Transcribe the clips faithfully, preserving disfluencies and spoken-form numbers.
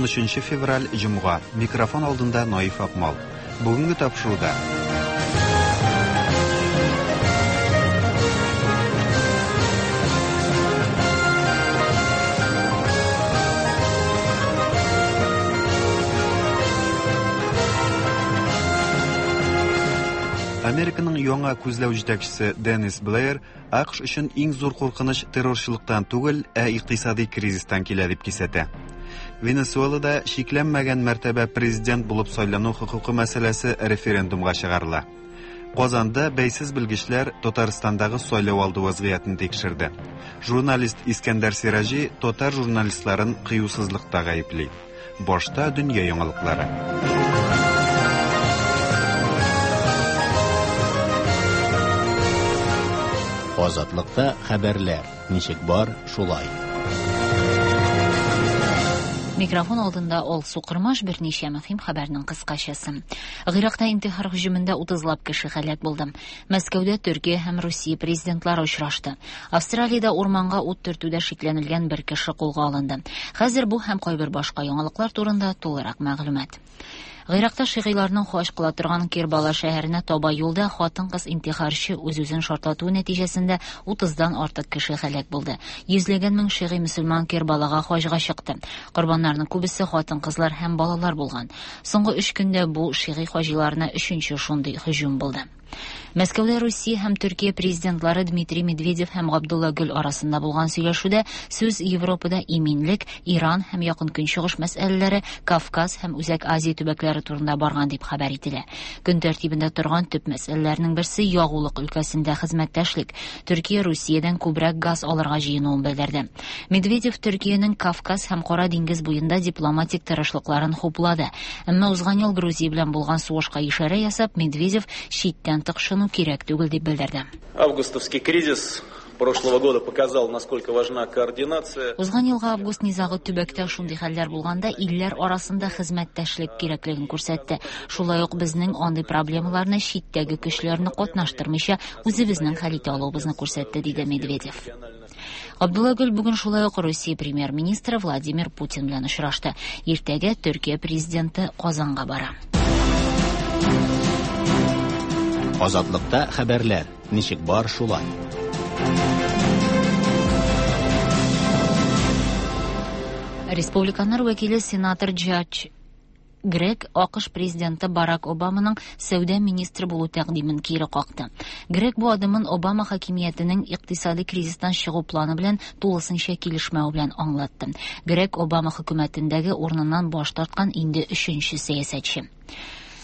Унөченче февраль, җомга. Микрофон алдында Наиф Акмал. Бүгенге тапшыруда Американың яңа күзләү җитәкчесе Деннис Блэйр А К Ш өчен иң зур куркыныч террорчылыктан түгел, ә икътисади кризистан килә дип кисәтә. Венесуэлада чикләнмәгән мәртәбә президент булып сайлану хокукы мәсьәләсе референдумга чыгарыла. Казанда бәйсез белгечләр Татарстандагы сайлау алды вазгыятен тикшерде. Журналист Искәндәр Сираҗи татар журналистларын кыюсызлыкта гаепли. Башта дөнья яңалыклары. Азатлыкта хәбәрләр ничек бар, шулай. Микрофон алдында Алсу Кырмаш, берничә мөһим хәбәрнең кыскачасы. Гыйракта интихар һөҗүмендә утызлап кеше һәлак булды. Мәскәүдә Төркия һәм Русия президентлары очрашты. Австралиядә урманга ут төртүдә шикләнелгән бер кеше кулга алынды. Хәзер бу һәм кайбер башка яңалыклар турында тулырак мәгълүмат. Гыйракта шигыйларның хаҗ кыла торган Кербала шәһәренә таба юлда хатын-кыз интихарчы үз-үзен шартлатуы нәтиҗәсендә утыздан артык кеше һәлак булды. Йөзләгән мең шигый мөселман Кербалага хаҗга чыкты. Корбаннарның күбесе хатын-кызлар һәм балалар булган. Соңгы өч көндә бу шигый хаҗиларына өченче шундый һөҗүм булды. Мәскәүдә Русия һәм Төркия президентлары Дмитрий Медведев һәм Габдулла Гөл арасында булган сөйләшүдә сүз Европада иминлек, Иран һәм Якын Көнчыгыш мәсьәләләре, Кавказ һәм Үзәк Азия төбәкләре турында барган дип хәбәр ителә. Көн тәртибендә торган төп мәсьәләләрнең берсе ягулык өлкәсендә хезмәттәшлек. Төркия Русиядән күбрәк газ алырга җыенуын белдерде. Медведев Төркиянең Кавказ һәм Кара диңгез буенда дипломатик тырышлыкларын хуплады. Әмма узган ел Грузия белән булган сугышка ишарә ясап, Медведев читтән тыкшыну кирәк түгел дип белдерде. Августовский кризис прошлого года показал, насколько важна координация. Узган елгы август низагы төбәктә шундый хәлләр булганда илләр арасында хезмәттәшлек кирәклеген күрсәтте. Шулай ук безнең андый проблемаларны читтәге көчләрне катнаштырмыйча үзебезнең хәл итә алуыбызны күрсәтте, диде Медведев. Абдулла Гөл бүген шулай ук Русия премьер-министры Владимир Путин белән очрашты. Иртәгә Төркия президенты Казанга бара. Азатлыкта хәбәрләр ничек бар, шулай. Республиканнар вәкиле сенатор Джадж Грег А К Ш президенты Барак Обаманың сәүдә министры булу тәкъдимен кире какты. Грег бу адымын Обама хакимиятенең икътисади кризистан чыгу планы белән тулысынча килешмәү белән аңлатты. Грег Обама хөкүмәтендәге урыныннан баш тарткан инде өченче сәясәтче.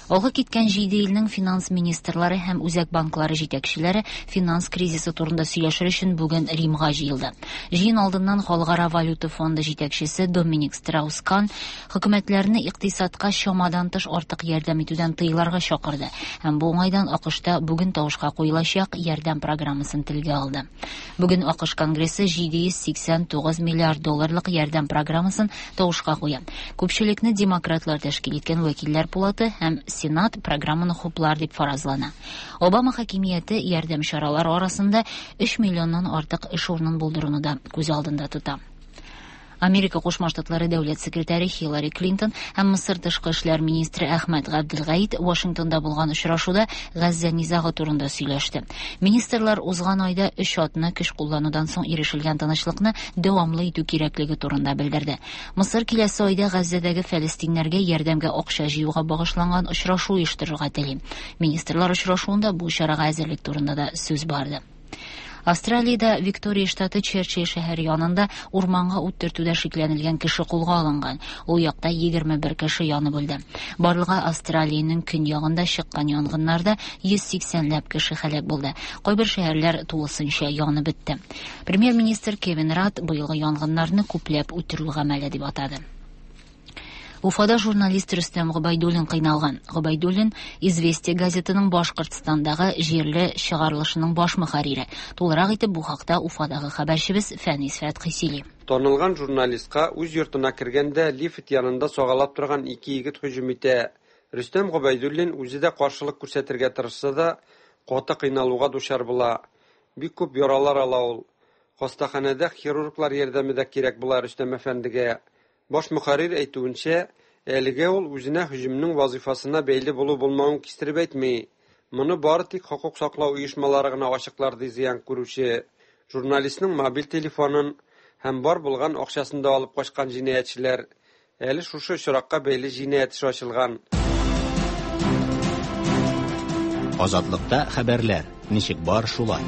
Алга киткән җиде илнең финанс министрлары һәм үзәк банклары җитәкчеләре финанс кризисы турында сөйләшер өчен бүген Римга җыелды. Җыен алдыннан Халыкара валюта фонды җитәкчесе Доминик Страус-Кан хөкүмәтләрне икътисадка чамадан тыш артык ярдәм итүдән тыеларга чакырды һәм бу уңайдан А К Шта бүген тавышка куелачак ярдәм программасын телгә алды. Бүген А К Ш Конгрессы җиде йөз сиксән тугыз миллиард долларлык ярдәм программасын тавышка куя. Күпчелекне демократлар тәшкил иткән вәкилләр пулаты һәм Сенат программаны хуплар дип фаразлана. Обама хакимияте ярдәм чаралары арасында өч миллионнан артык эш урынын булдыруны да күз алдында тота. Америка Кушма Штатлары дәүләт секретаре Хиллари Клинтон һәм Мысыр тышкы эшләр министры Әхмәт Габделгаит Вашингтонда булган очрашуда Газзә низагы турында сөйләште. Министрлар узган айда өч атна көч кулланудан соң ирешелгән тынычлыкны дәвамлы итү кирәклеге турында белдерде. Мысыр киләсе айда Газзәдәге фәлестиннәргә ярдәмгә акча җыюга багышланган очрашу оештырырга тели. Министрлар очрашуында бу чарага әзерлек турында да сүз барды. Австралиядә Виктория штаты Черчилль шәһәре янында урманга ут төртүдә шикләнелгән кеше кулга алынган. Ул якта егерме бер кеше янып үлде. Барлыгы Австралиянең көньягында чыккан янгыннарда йөз сиксәнләп кеше һәлак булды. Кайбер шәһәрләр тулысынча янып бетте. Премьер-министр Кевин Радд быелгы янгыннарны күпләп үтерү гамәле дип атады. Уфада журналист Рөстәм Гобәйдуллин кыйналган. Гобәйдуллин Известия газетының Башкортстандагы җирле чыгарылышының баш мөхәррире. Тулырак итеп бу хакта Уфадагы хәбәрчебез Фәнис Фәтхи сөйли. Танылган журналистка үз йортына кергәндә лифт янында сагалап торган ике егет һөҗүм итә. Рөстәм Гобәйдуллин үзе дә каршылык күрсәтергә тырышса да, каты кыйналуга дучар була. Бик күп яралар ала ул. Хастаханәдә хирурглар ярдәме дә кирәк була Рөстәм әфәндегә. Баш мөхәррир әйтүенчә, әлегә ул үзенә һөҗүмнең вазифасына бәйле булу-булмавын кистереп әйтми. Моны бары тик хокук саклау оешмалары гына ачыклар, ди зыян күрүче. Журналистның мобиль телефонын һәм бар булган акчасын да алып качкан җинаятьчеләр. Әле шушы очракка бәйле җинаять эше ачылган. Азатлыкта хәбәрләр ничек бар шулай.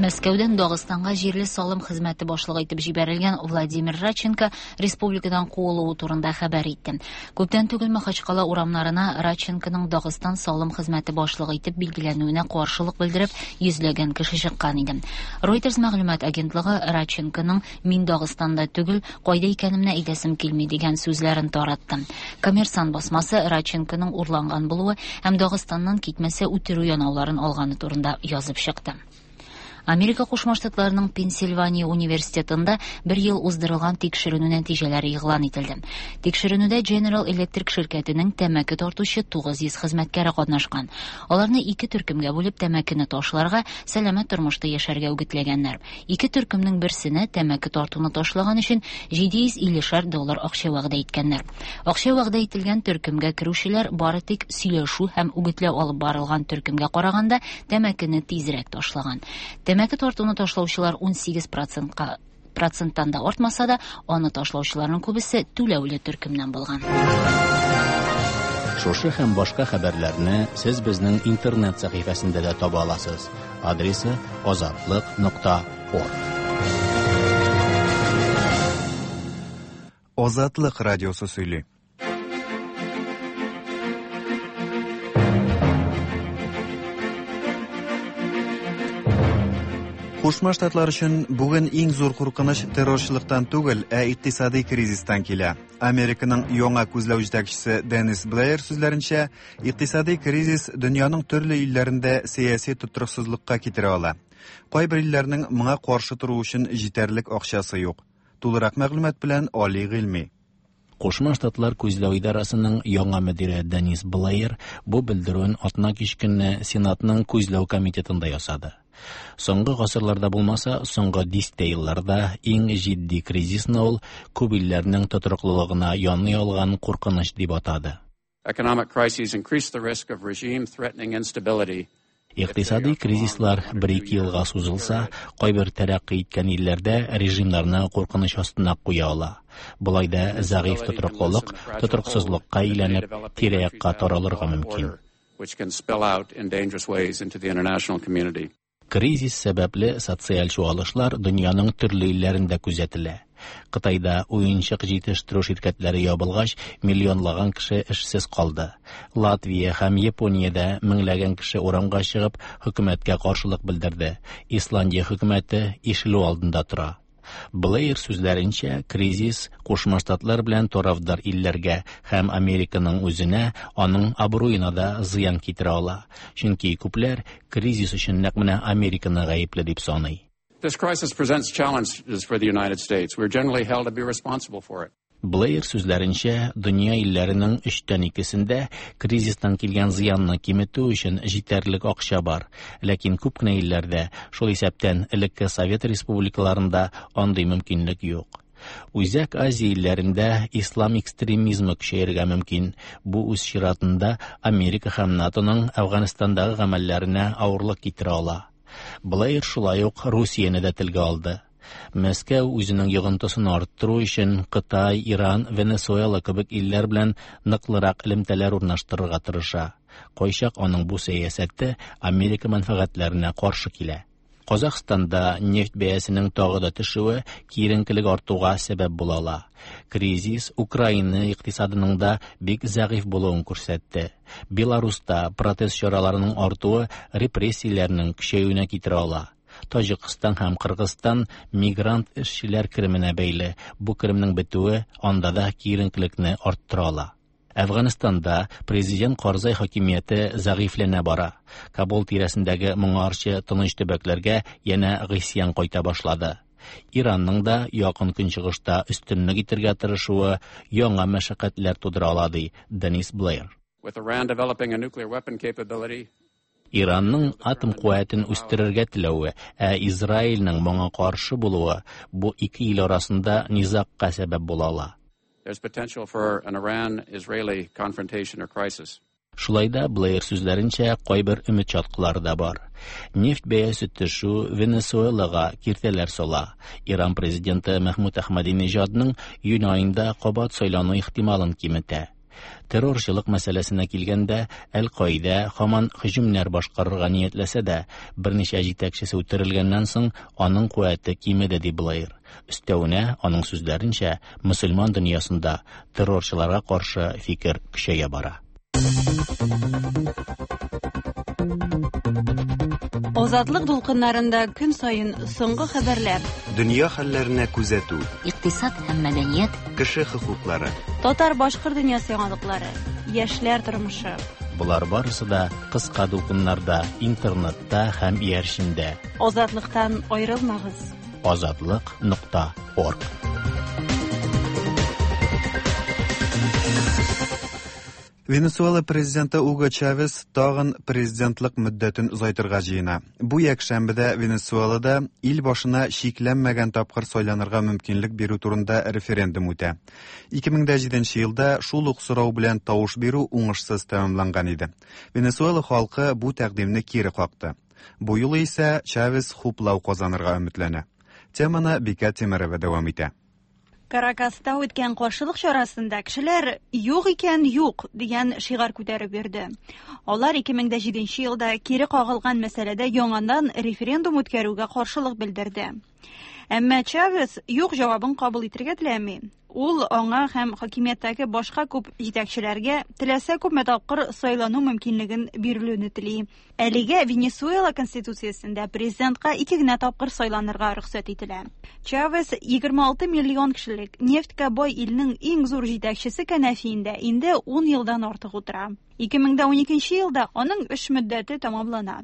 Мәскәүдән Дагыстанга җирле салым хезмәте башлыгы итеп җибәрелгән Владимир Радченко республикадан куылуы турында хәбәр итте. Күптән түгел Махачкала урамнарына Радченконың Дагыстан салым хезмәте башлыгы итеп билгеләнүенә каршылык белдереп йөзләгән кеше чыккан иде. Reuters мәгълүмат агентлыгы Радченконың "Мин Дагыстанда түгел, кайда икәнемне әйтәсем килми" дигән сүзләрен таратты. Коммерсант басмасы Радченконың урланган булуы һәм Дагыстаннан китмәсә үтерү янауларын алганы турында язып чыкты. Америка Кушма Штатларының Пенсильвания университетында бер ел уздырылган тикшеренү нәтиҗәләре игълан ителде. Тикшеренүдә General Electric ширкәтенең тәмәке тартучы тугыз йөз хезмәткәре катнашкан. Аларны ике төркемгә бүлеп тәмәкене ташларга, сәламәт тормышта яшәргә үгетләгәннәр. Ике төркемнең берсенә тәмәке тартуны ташлаган өчен җиде йөз иллешәр доллар акча вәгъдә иткәннәр. Акча вәгъдә ителгән төркемгә керүчеләр бары тик сөйләшү һәм үгетләү алып барылган төркемгә караганда тәмәкене тизрәк ташлаган. Тәмәке тартуны ташлаучылар ун сигез процентка проценттан да артмаса да, аны ташлаучыларның күбесе түләүле төркемнән булган. Шушы һәм башка хәбәрләрне сез безнең интернет сәхифәсендә дә таба аласыз. Адресы азатлык нокта орг. Азатлык радиосы сөйли. Кушма Штатлар өчен бүген иң зур куркыныч террорчылыктан түгел, ә икътисади кризистан килә. Американың яңа күзләү җитәкчесе Деннис Блэйр сүзләренчә, икътисади кризис дөньяның төрле илләрендә сәяси тотрыксызлыкка китерә ала. Кайбер илләрнең моңа каршы тору өчен җитәрлек акчасы юк. Тулырак мәгълүмат белән Али Гыйльми. Кушма Штатлар күзләү идарасының яңа мөдире Деннис Блэйр бу белдерүен атна кич көнне Сенатның күзләү комитетында ясады. Соңгы гасырларда булмаса, соңгы дистә елларда иң җитди кризисны ул күп илләрнең тотрыклылыгына яный алган куркыныч дип атады. Economic crises increase the risk of regime-threatening instability. Икътисади кризислар бер-ике елга сузылса, кайбер тәрәккый иткән илләрдә режимнарны куркыныч астына куя ала. Болай да зәгыйфь тотрыклылык тотрыксызлыкка әйләнеп, тирә-якка таралырга мөмкин. Which can spill out in dangerous ways into the international community. Кризис сәбәпле социаль чуалышлар дөньяның төрле илләрендә күзәтелә. Кытайда уенчык җитештерү ширкәтләре ябылгач, миллионлаган кеше эшсез калды. Латвия һәм Япониядә меңләгән кеше урамга чыгып, хөкүмәткә каршылык белдерде. Исландия хөкүмәте ишелү алдында тора. Блэйр сүзләренчә, кризис Кушма Штатлар белән тарафдар илләргә һәм Американың үзенә, аның абруена да зыян китерә ала. Чөнки күпләр кризис өчен нәкъ менә Американы гаепле дип саный. This crisis presents challenges for the United States. We're generally held to be responsible for it. Блэйр сүзләренчә, дөнья илләренең өчтән икесендә кризистан килгән зыянны киметү өчен җитәрлек акча бар. Ләкин күп кенә илләрдә, шул исәптән элекке Совет республикаларында андый мөмкинлек юк. Үзәк Азия илләрендә ислам экстремизмы көчәергә мөмкин. Бу үз чиратында Америка һәм НАТОның Әфганстандагы гамәлләренә авырлык китерә ала. Блэйр шулай ук Русияне дә телгә алды. Мәскәү үзенең йогынтысын арттыру өчен Кытай, Иран, Венесуэла кебек илләр белән ныклырак элемтәләр урнаштырырга тырыша. Кайчак аның бу сәясәте Америка мәнфәгатьләренә каршы килә. Казахстанда нефть бәясенең тагы да төшүе киеренкелек артуга сәбәп була ала. Кризис Украина икътисадының да бик зәгыйфь булуын күрсәтте. Беларуста протест чараларының артуы репрессияләрнең көчәюенә китерә ала. Таҗикстан һәм Кыргызстан мигрант эшчеләр кеременә бәйле. Бу керемнең бетүе анда да киеренкелекне арттыра ала. Әфганстанда президент Карзай хакимияте зәгыйфьләнә бара. Кабул тирәсендәге моңарчы тыныч төбәкләргә янә гыйсьян кайта башлады. Иранның да якын көнчыгышта өстенлек итәргә тырышуы яңа мәшәкатьләр тудыра ала, ди Деннис Блэйр. With Iran developing a nuclear weapon capability, Иранның атом куәтен үстерергә теләве, ә Израильнең моңа каршы булуы бу ике ил арасында низагка сәбәп була ала. There's potential for an Iran-Israeli confrontation or crisis. Шулай да Блэйр сүзләренчә, кайбер өмет чаткылары да бар. Нефть бәясе төшү Венесуэлага киртәләр сала. Иран президенты Мәхмүд Әхмәдинежадның июнь аенда кабат сайлану ихтималын киметә. Террорчылык мәсьәләсенә килгәндә, Әл-Каидә һаман һөҗүмнәр башкарырга ниятләсә дә, берничә җитәкчесе үтерелгәннән соң аның куәте кимеде, ди Блэйр. Өстәвенә, аның сүзләренчә, мөселман дөньясында террорчыларга каршы фикер көчәя бара. Азатлык дулкыннарында көн саен соңгы хәбәрләр, дөнья хәлләренә күзәтү, икътисад һәм мәдәният, кеше хокуклары, татар-башкорт дөньясы яңалыклары, яшьләр тормышы. Болар барысы да кыска дулкыннарда, интернетта һәм иярчендә. Азатлыктан аерылмагыз. Азатлык нокта орг. Венесуэла президенты Уго Чавес тагын президентлык мөддәтен озайтырга җыена. Бу якшәмбедә Венесуэлада ил башына чикләнмәгән тапкыр сайланырга мөмкинлек бирү турында референдум үтә. ике мең дә җиденче елда шул ук сорау белән тавыш бирү уңышсыз тәмамланган иде. Венесуэла халкы бу тәкъдимне кире какты. Бу юлы исә Чавес хуплау казанырга өметләнә. Теманы Бикә Тимерова дәвам итә. Каракаста үткән каршылык чарасында кешеләр «Юк икән, юк» дигән шигарь күтәреп йөрде. Алар ике мең дә җиденче елда кире кагылган мәсьәләдә яңадан референдум үткәрүгә каршылык белдерде. Әмма Чавес юк җавабын кабул итәргә теләми. Ул аңа һәм хакимияттәге башка күп җитәкчеләргә теләсә күпме тапкыр сайлану мөмкинлеген бирелүне тели. Әлегә Венесуэла конституциясендә президентка ике генә тапкыр сайланырга рөхсәт ителә. Чавес егерме алты миллион кешелек нефтькә бай илнең иң зур җитәкчесе кәнәфиендә инде ун елдан артык утыра. ике мең дә уникенче елда аның эш мөддәте тәмамлана.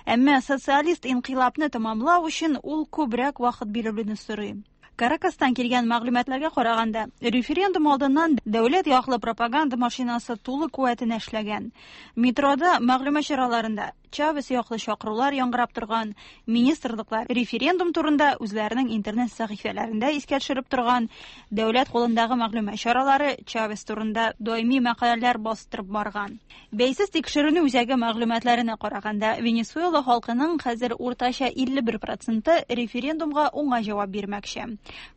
Әмма социалист инкыйлабны тәмамлау өчен ул күбрәк вакыт бирелүне сорый. Каракастан килгән мәгълүматларга караганда, референдум алдыннан дәүләт яклы пропаганда машинасы тулы куәтенә эшләгән. Метрода мәгълүмат чараларында Чавес яклы чакырулар яңгырап торган, министрлыклар референдум турында үзләренең интернет сәхифәләрендә искә төшереп торган, дәүләт кулындагы мәгълүмат чаралары Чавес турында даими мәкаләләр бастырып барган. Бәйсез тикшеренү үзәге мәгълүматларына караганда, Венесуэла халкының хәзер уртача илле бер проценты референдумга уңай җавап бирмәкче.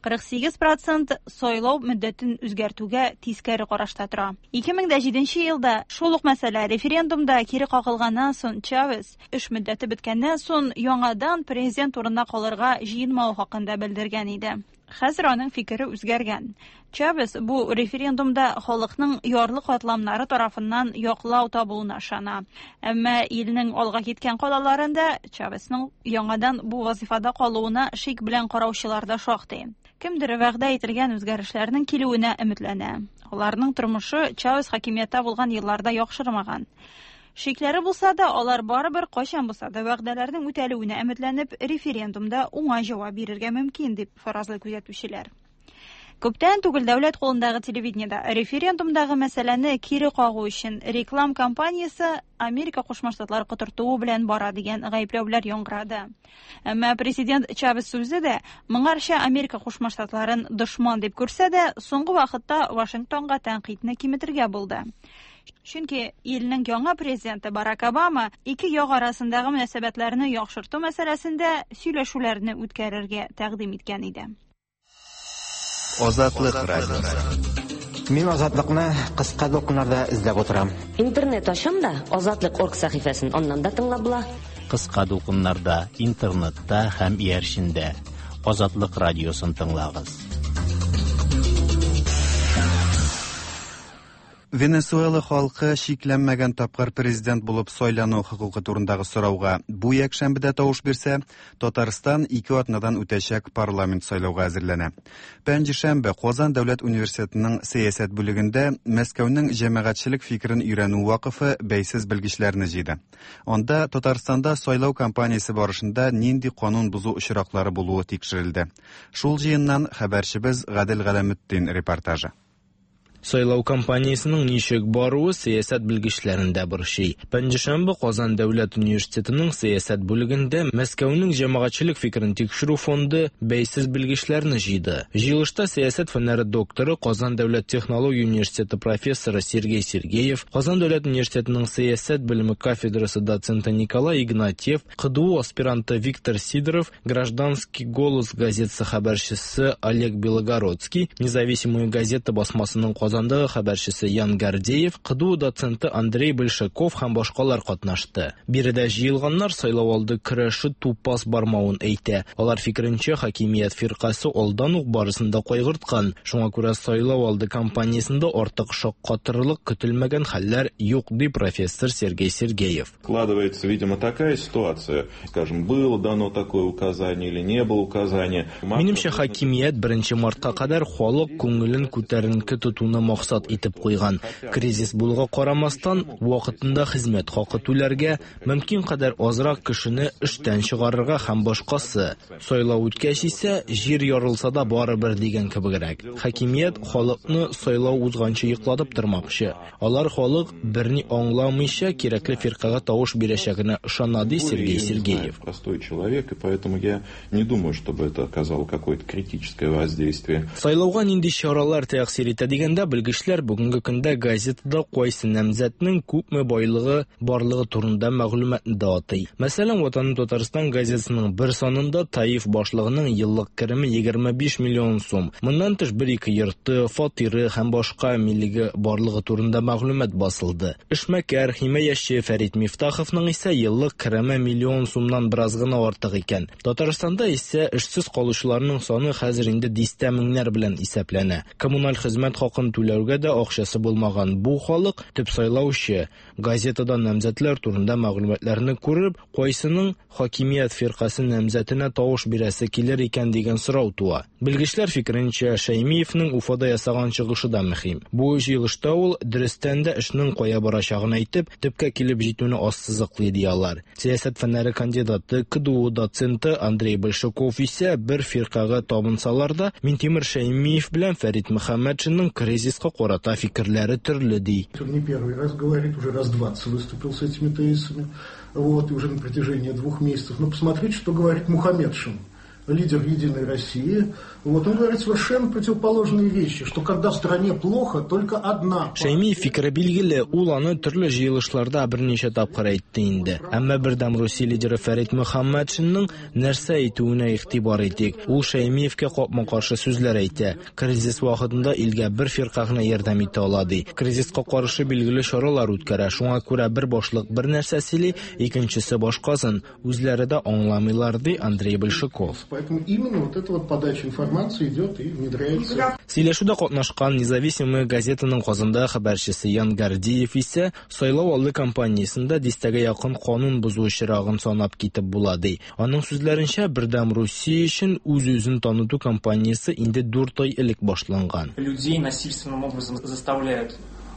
кырык сигез процент сайлау мөддәтен үзгәртүгә тискәре карашта тора. ике мең дә җиденче елда шул ук мәсьәлә референдумда кире кагылганнан соң Чавес эш мөддәте беткәннән соң яңадан президент урынына калырга җыенмау хакында белдергән иде. Хәзер аның фикере үзгәргән. Чавес бу референдумда халыкның ярлы катламнары тарафыннан яклау табуына ышана. Әмма илнең алга киткән калаларында Чавесның яңадан бу вазифада калуына шик белән караучылар да шактый. Кемдер вәгъдә ителгән үзгәрешләрнең килүенә өметләнә. Аларның тормышы Чавес хакимияттә булган елларда яхшырмаган. Шикләре булса да, алар барыбер кайчан булса да вәгъдәләрнең үтәлүенә өметләнеп, референдумда уңай җавап бирергә мөмкин, дип фаразлый күзәтүчеләр. Күптән түгел дәүләт кулындагы телевидениедә референдумдагы мәсьәләне кире кагу өчен реклам кампаниясе Америка Кушма Штатлары котыртуы белән бара дигән гаепләүләр яңгырады. Әмма президент Чавес сүзе дә моңарча Америка Кушма Штатларын дошман дип күрсә дә, соңгы вакытта Вашингтонга тәнкыйтьне киметергә булды. Чөнки илнең яңа президенты Барак Обама ике як арасындагы мөнәсәбәтләрне яхшырту мәсьәләсендә сөйләшүләрне үткәрергә тәкъдим иткән иде. Азатлык радиосы. Мин Азатлыкны кыска дулкыннарда эзләп утырам. Интернет ачам да Азатлык орг сәхифәсен аннан да тыңлап була. Кыска дулкыннарда, интернетта һәм иярчендә Азатлык радиосын тыңлагыз. Венесуэла халкы чикләнмәгән тапкыр президент булып сайлану хокукы турындагы сорауга бу якшәмбедә тавыш бирсә, Татарстан ике атнадан үтәчәк парламент сайлауга әзерләнә. Пәнҗешәмбе Казан дәүләт университетының сәясәт бүлегендә Мәскәүнең җәмәгатьчелек фикерен өйрәнү вакыфы бәйсез белгечләрне җыйды. Анда Татарстанда сайлау кампаниясе барышында нинди канун бозу очраклары булуы тикшерелде. Шул җыеннан хәбәрчебез Гадел Галәметдин репортажы. Сайлау кампаниясенең ничек баруы сәясәт белгечләрен дә борчый. Пәнҗешәмбе Казан дәүләт университетының сәясәт бүлегендә Мәскәүнең җәмәгатьчелек фикерен тикшерү фонды бәйсез белгечләрне җыйды. Җыелышта сәясәт фәннәре докторы, Казан дәүләт технология университеты профессоры Сергей Сергеев, Казан дәүләт университетының сәясәт белеме кафедрасы доценты Николай Игнатьев, КДУ аспиранты Виктор Сидоров, Гражданский голос газетасы хәбәрчесе Олег Белогородский, Независимая газета басмасының Казандагы хәбәрчесе Ян Гордеев, КДУ доценты Андрей Большаков һәм башкалар катнашты. Биредә җыелганнар сайлау алды көрәше тупас бармавын әйтә. Алар фикеренчә, хакимият фиркасе алдан ук барысын да кайгырткан. Шуңа күрә сайлау алды кампаниясендә артык шаккатырлык көтелмәгән хәлләр юк, ди профессор Сергей Сергеев. Складывается, видимо, такая ситуация, скажем, было дано такое указание или не было указания. Минемчә, хакимият беренче мартка кадәр халык күңелен күтәренке тотуны максат итеп куйган. Кризис булуга карамастан, вакытында хезмәт хакы түләргә, мөмкин кадәр азрак кешене эштән чыгарырга һәм башкасы. Сайлау үткәч исә, җир ярылса да барыбер дигән кебегрәк. Хакимият халыкны сайлау узганчы йоклатып тормакчы. Алар халык берни аңламыйча кирәкле фиркага тавыш бирәчәгенә ышана, ди Сергей Сергеев. Простой человек, и поэтому я не думаю, чтобы это оказало какое-то критическое воздействие. Сайлауга нинди чаралар тәэсир итә дигәндә, белгечләр бүгенге көндә газетада кайсы намзәтнең күпме байлыгы барлыгы турында мәгълүматны да атый. Мәсәлән, Ватаным Татарстан газетасының бер санында Таиф башлыгының еллык кереме егерме биш миллион сум. Моннан тыш бер-ике йорты, фатиры һәм башка милеге барлыгы турында мәгълүмат басылды. Эшмәкәр, химаячы Фәрит Мифтаховның исә еллык кереме миллион сумнан бераз гына артык икән. Татарстанда исә эшсез калучыларның саны хәзер инде дистә меңнәр белән исәпләнә. Коммуналь хезмәт хакын түләүгә дә акчасы булмаган бу халык төп сайлаучы. Газетадан намзәтләр турында мәгълүматларны күреп, кайсының хакимият фиркасе намзәтенә тавыш бирәсе килер икән дигән сорау туа. Белгечләр фикеренчә, Шәймиевнең Уфада ясаган чыгышы да мөһим. Бу җыелышта ул дөрестән дә эшнең кая барачагын әйтеп, төпкә килеп җитүне ассызыклый ди алар. Сәясәт фәннәре кандидаты, КДУ доценты Андрей Большаков исә бер фиркага табынсалар да, Минтимер Шәймиев белән Фәрит Мөхәммәтшинның кризиска карата фикерләре төрле ди. Он не первый раз говорит, уже раз двадцать выступил с этими тезисами, вот, и уже на протяжении двух месяцев. Но посмотрите, что говорит Мухаметшин, лидер «Единой России». Вот, он говорит совершенно противоположные вещи, что когда в стране плохо, только одна... Шәймиев фикере билгеле, ул аны төрле җыелышларда берничә тапкыр әйтте инде. Әмма Бердәм Русия лидеры Фәрит Мөхәммәтшинның нәрсә әйтүенә игътибар итик. Ул Шәймиевкә капма-каршы сүзләр әйтә. Кризис вакытында илгә бер фирка гына ярдәм итә ала ди. Кризиска каршы билгеле чаралар үткәрә. Шуңа күрә бер башлык бер нәрсә сөйли, икенчесе башкасын. Үзләре дә аңламыйлар, ди Андрей Большаков. Поэтому именно вот эта вот подача информации идет и внедряется. Сөйләшүдә катнашкан Независимая газетаның Казанда хәбәрчесе Ян Гордеев исә сайлау алды кампаниясендә дистәгә якын канун бозу очрагын санап китеп була ди. Аның сүзләренчә, Бердәм Русия өчен үз-үзен таныту кампаниясе инде дүрт ай элек башланган. Людей насильственным образом заставляют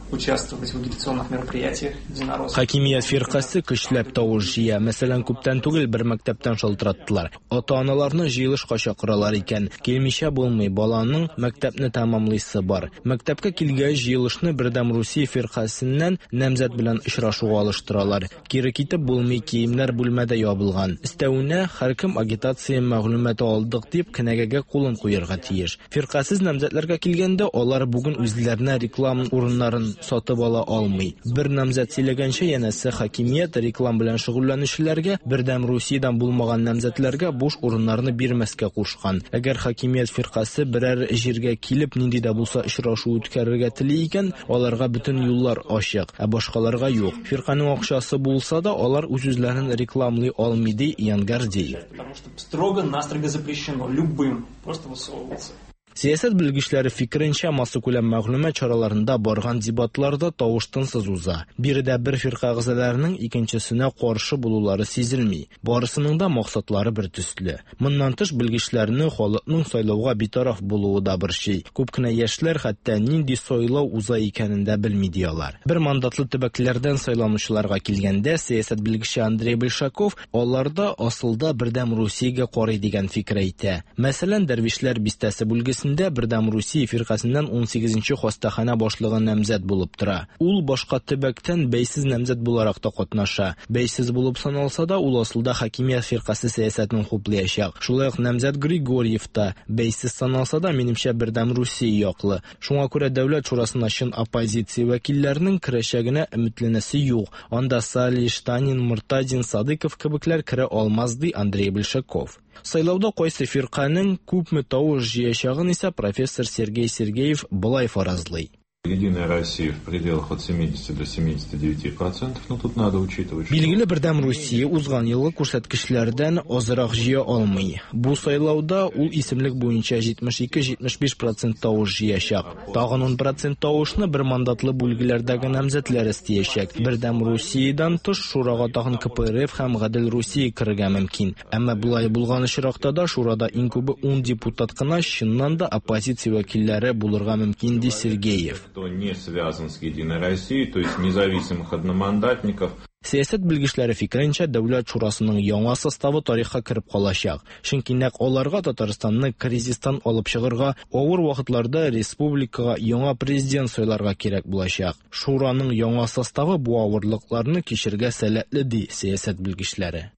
участвовать в агитационных мероприятиях единороссов. Хакимият фиркасе көчләп тавыш җыя. Мәсәлән, күптән түгел бер мәктәптән шалтыраттылар. Ата-аналарны җыелышка чакыралар икән. Килмичә булмый, баланың мәктәпне тәмамлыйсы бар. Мәктәпкә килгәч җыелышны Бердәм Русия фиркасеннән намзәт белән очрашуга алыштыралар. Кире китеп булмый, киемнәр бүлмәдә ябылган. Өстәвенә һәркем агитация мәгълүматы алдык дип кенәгәгә кулын куярга тиеш. Фиркасез намзәтләргә килгәндә, алар бүген үзләренә реклама урыннарын сатып ала алмый. Бер намзәт сөйләгәнчә, янәсе хакимият реклам белән шөгыльләнүчеләргә, Бердәм Русиядән булмаган намзәтләргә буш урыннарны бирмәскә кушкан. Әгәр хакимият фиркасе берәр җиргә килеп нинди дә булса очрашу үткәрергә тели икән, аларга бөтен юллар ачык, ә башкаларга юк. Фирканың акчасы булса да, алар үз-үзләрен рекламлый алмый, ди Ян Гордеев. Потому что строго-настрого запрещено любым просто высовываться. Сәясәт белгечләре фикеренчә, массакүләм мәгълүмат чараларында барган дебатларда тавыш тынсыз уза. Биредә бер фирка әгъзаларының икенчесенә каршы булулары сизелми. Барысының да максатлары бер төсле. Моннан тыш белгечләрне халыкның сайлауга битараф булуы да борчый. Күп кенә яшьләр хәтта нинди сайлау уза икәнен дә белми ди алар. Бер мандатлы төбәкләрдән сайланучыларга килгәндә, сәясәт белгече Андрей Большаков аларда асылда Бердәм Русиягә карый дигән фикер әйтә. Мәсәлән, Дәрвишләр бистәсе бүлгесендә Мәҗлесендә Бердәм Русия фиркасеннән унсигезенче хастаханә башлыгы намзәт булып тора. Ул башка төбәктән бәйсез намзәт буларак та катнаша. Бәйсез булып саналса да, ул асылда хакимият фиркасе сәясәтен хуплаячак. Шулай ук намзәт Григорьев та бәйсез саналса да, минемчә, Бердәм Русия яклы. Шуңа күрә Дәүләт шурасына чын оппозиция вәкилләренең керәчәгенә өметләнәсе юк. Анда Салиш, Танин, Муртазин, Садыков кебекләр керә алмаз, ди Андрей Большаков. Сайлауда кайсы фирканең күпме тавыш җыячагын исә профессор Сергей Сергеев болай фаразлый. Единая Россия в пределах от семидесяти до семидесяти девяти процентов, но тут надо учитывать, что Билгеле, Бердәм Русия узган елгы күрсәткечләрдән азрак җыя алмый. Бу сайлауда ул исемлек буенча җитмеш ике-җитмеш биш процент тавыш җыячак. Тагын ун процент тавышны бер мандатлы бүлгеләрдәге намзәтләр истәячәк. Бердәм Русиядан тыш шурага тагын К П Р Ф һәм Гадел Русия керергә мөмкин. Әмма болай булган очракта да шурада иң күбе ун депутат кына чыннан да оппозиция вәкилләре булырга мөмкин, ди Сергеев. Кто не связан с Единой Россией, то есть независимых одномандатников. Сәясәт белгечләре фикеренчә, Дәүләт шурасының яңа составы тарихка кереп калачак. Чөнки нәкъ аларга Татарстанны кризистан алып чыгарга, авыр вакытларда республикага яңа президент сайларга кирәк булачак. Шураның яңа составы бу авырлыкларны кичергә сәләтле, ди сәясәт белгечләре.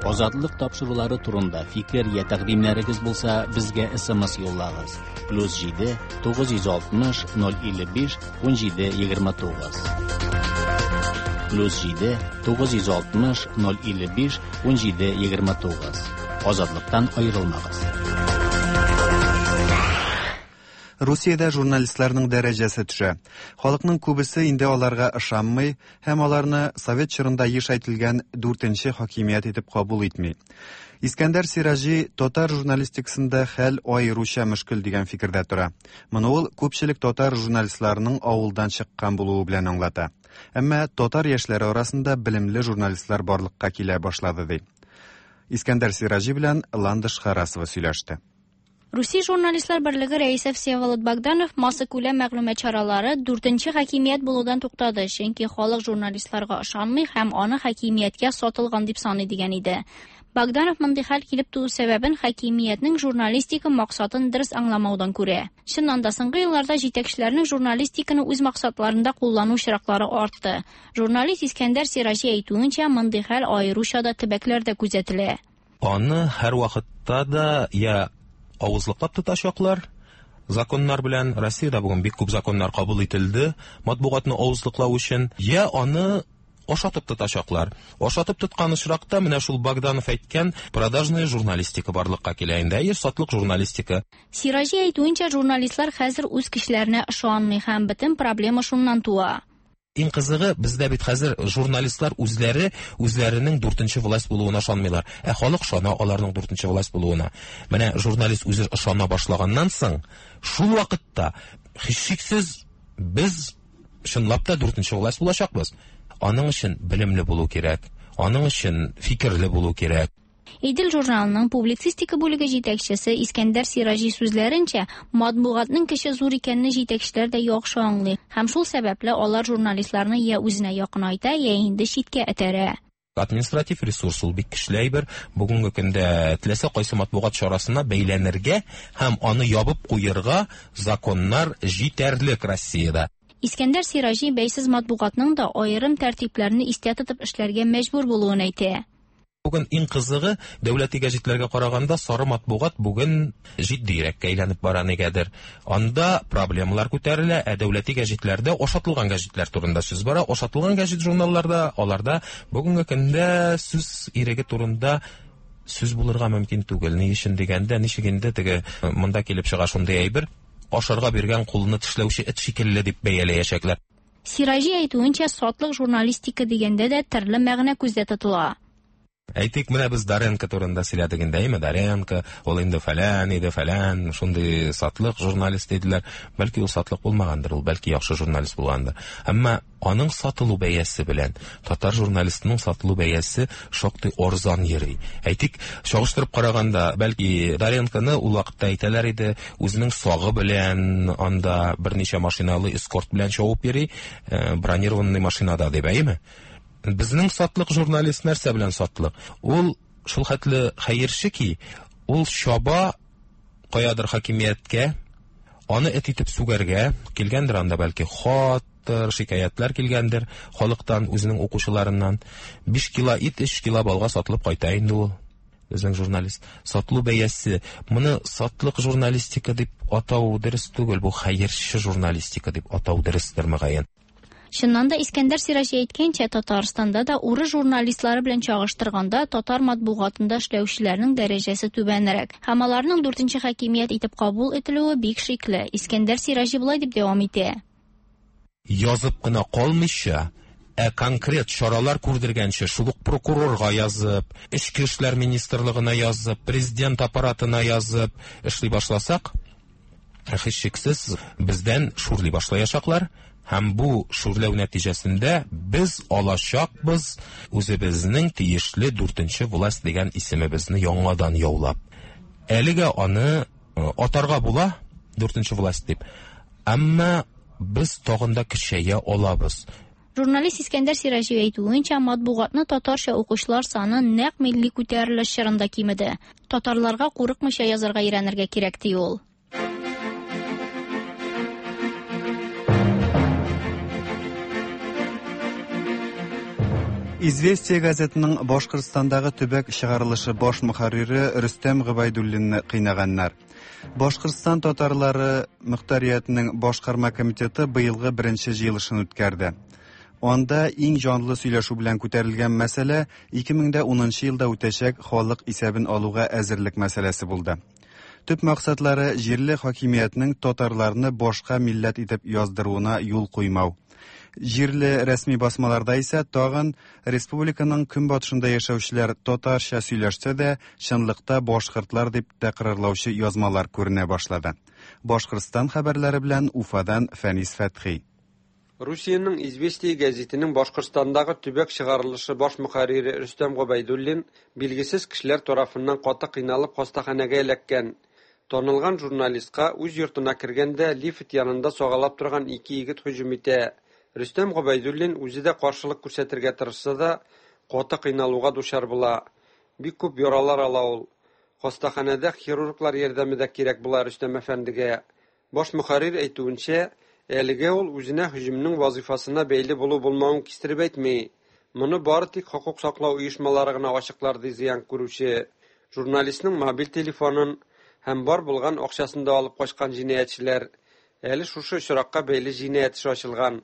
Азатлык тапшырулары турында фикер я тәкъдимнәрегез булса, безгә С М С юллагыз. Плюс җиде, тугыз йөз алтмыш, ноль илле биш, ун җиде, егерме тугыз. Плюс җиде, тугыз йөз алтмыш, ноль илле биш, ун җиде, егерме тугыз. Азатлыктан аерылмагыз. Русиядә журналистларның дәрәҗәсе төшә. Халыкның күбесе инде аларга ышанмый һәм аларны совет чорында еш әйтелгән дүртенче хакимият итеп кабул итми. Искәндәр Сираҗи татар журналистикасында хәл аеруча мөшкел дигән фикердә тора. Моны ул күпчелек татар журналистларының авылдан чыккан булуы белән аңлата. Әмма татар яшьләре арасында белемле журналистлар барлыкка килә башлады, ди. Искәндәр Сираҗи белән Ландыш Харасова сөйләште. Русия журналистлар берлеге рәисе Всеволод Богданов массакүләм мәгълүмат чаралары дүртенче хакимият булудан туктады, чөнки халык журналистларга ышанмый һәм аны хакимияткә сатылган дип саный дигән иде. Богданов мондый хәл килеп туу сәбәбен хакимиятнең журналистика максатын дөрес аңламаудан күрә. Чыннан да соңгы елларда җитәкчеләрнең журналистиканы үз максатларында куллану очраклары артты. Журналист Искәндәр Сираҗи әйтүенчә, мондый хәл аеруча да төбәкләрдә күзәтелә. Аны һәр вакытта да я авызлыклап тотачаклар законнар белән. Россиядә бүген бик күп законнар кабул ителде матбугатны авызлыклау өчен, я аны ашатып тотачаклар. Ашатып тоткан очракта менә шул Богданов әйткән продажная журналистика барлыкка килә инде, әйе, сатлык журналистика. Сираҗи әйтүенчә, журналистлар хәзер үз кешеләренә ышанмый һәм бөтен проблема шуннан туа. Иң кызыгы, бездә бит хәзер журналистлар үзләре үзләренең дүртенче власть булуына ышанмыйлар. Ә халык ышана аларның дүртенче власть булуына. Менә журналист үзе ышана башлаганнан соң, шул вакытта һичшиксез без чынлап та дүртенче власть булачакбыз. Аның өчен белемле булу кирәк, аның өчен фикерле булу кирәк. Идел журналының публицистика бүлеге җитәкчесе Искәндәр Сираҗи сүзләренчә, матбугатның көче зур икәнне җитәкчеләр дә яхшы аңлый һәм шул сәбәпле алар журналистларны я үзенә якынайта, я инде читкә этәрә. Административ ресурс ул бик көчле әйбер. Бүгенге көндә теләсә кайсы матбугат чарасына бәйләнергә һәм аны ябып куерга законнар җитәрлек Россиядә. Искәндәр Сираҗи бәйсез матбугатның да аерым тәртипләрне истә тотып эшләргә мәҗбүр булуын әйтә. Бүген иң кызыгы, дәүләти гәҗитләргә караганда сары матбугат бүген җитдирәккә әйләнеп бара нигәдер. Анда проблемалар күтәрелә, ә дәүләти гәҗитләрдә ашатылган гәҗитләр турында сүз бара. Ашатылган гәҗит журналларда, аларда бүгенге көндә сүз иреге турында сүз булырга мөмкин түгел. Ни өчен дигәндә, ничек инде теге монда килеп чыга шундый әйбер, ашарга биргән кулны тешләүче эт шикелле дип бәяләячәкләр. Сираҗи әйтүенчә, сатлык журналистика дигәндә дә төрле мәгънә күздә тотыла. Әйтик, менә без Доренко турында сөйләдек инде, әйме? Доренко, ул инде фәлән иде, фәлән, шундый сатлык журналист диделәр. Бәлки ул сатлык булмагандыр, ул бәлки яхшы журналист булгандыр. Әмма аның сатылу бәясе белән татар журналистының сатылу бәясе шактый арзан йөри. Әйтик, чагыштырып караганда, бәлки Доренконы ул вакытта әйтәләр иде, үзенең сагы белән анда берничә машиналы эскорт белән чабып йөри, э, бронированный машинада дип, әйеме? Безнең сатлык журналист нәрсә белән сатлык? Ул шул хәтле хәерче ки, ул чаба каядыр хакимияткә, аны эт итеп сүгәргә килгәндер, анда бәлки хаттыр, шикаятьләр килгәндер халыктан, үзенең укучыларыннан. Биш кило ит өч кило балга сатылып кайта инде ул. Безнең журналист. Сатылу бәясе. Моны сатлык журналистика дип атау дөрес түгел, бу хәерче журналистика дип атау дөрестер мөгаен. Чыннан да Искәндәр Сираҗи әйткәнчә, Татарстанда да урыс журналистлары белән чагыштырганда татар матбугатында эшләүчеләрнең дәрәҗәсе түбәнрәк. Һәм аларның дүртенче хакимият итеп кабул ителүе бик шикле. Искәндәр Сираҗи болай дип дәвам итә. Язып кына калмыйча, ә конкрет чаралар күрдергәнче, шул ук прокурорга язып, Эчке эшләр министрлыгына язып, президент аппаратына язып эшли башласак, һичшиксез бездән шүрли башлаячаклар. Һәм бу шүрләү нәтиҗәсендә без алачакбыз үзебезнең тиешле дүртенче власть дигән исемебезне яңадан яулап. Әлегә аны атарга була дүртенче власть дип. Әмма без тагын да көчәя алабыз. Журналист Искәндәр Сираҗи әйтүенчә, матбугатны татарча укучылар саны нәкъ милли күтәрелеш чорында кимеде. Татарларга курыкмыйча язарга өйрәнергә кирәк, ди ул. Известия газетының Башкортстандагы төбәк чыгарылышы баш мөхәррире Рөстәм Гобәйдуллинны кыйнаганнар. Башкортстан татарлары мөхтәриятенең башкарма комитеты быелгы беренче җыелышын үткәрде. Анда иң җанлы сөйләшү белән күтәрелгән мәсьәлә ике мең дә унынчы елда үтәчәк халык исәбен алуга әзерлек мәсьәләсе булды. Төп максатлары җирле хакимиятнең татарларны башка милләт итеп яздыруына юл куймау. Җирле рәсми басмаларда исә тагын республиканың көнбатышында яшәүчеләр татарча сөйләшсә дә, чынлыкта башкортлар дип тәкрарлаучы язмалар күренә башлады. Башкортстан хәбәрләре белән Уфадан Фәнис Фәтхи. Русиянең Известия гәзитенең Башкортстандагы төбәк чыгарылышы баш мөхәррире Рөстәм Гобәйдуллин билгесез кешеләр тарафыннан каты кыйналып хастаханәгә эләккән. Танылган журналистка үз йортына кергәндә лифт янында сагалап торган ике егет һөҗүм итә. Рөстәм Гобәйдуллин үзе дә каршылык күрсәтергә тырышса да, каты кыйналуга дучар була. Бик күп яралар ала ул. Хастаханәдә хирурглар ярдәме дә кирәк була Рөстәм әфәндегә. Баш мөхәррир әйтүенчә, әлегә ул үзенә һөҗүмнең вазифасына бәйле булу булмавын кистереп әйтми. Моны бары тик хокук саклау оешмалары гына ачыклар, ди зыян күрүче. Журналистның мобиль телефонын һәм бар булган акчасын да алып качкан җинаятьчеләр. Әле шушы очракка бәйле җинаять эше ачылган.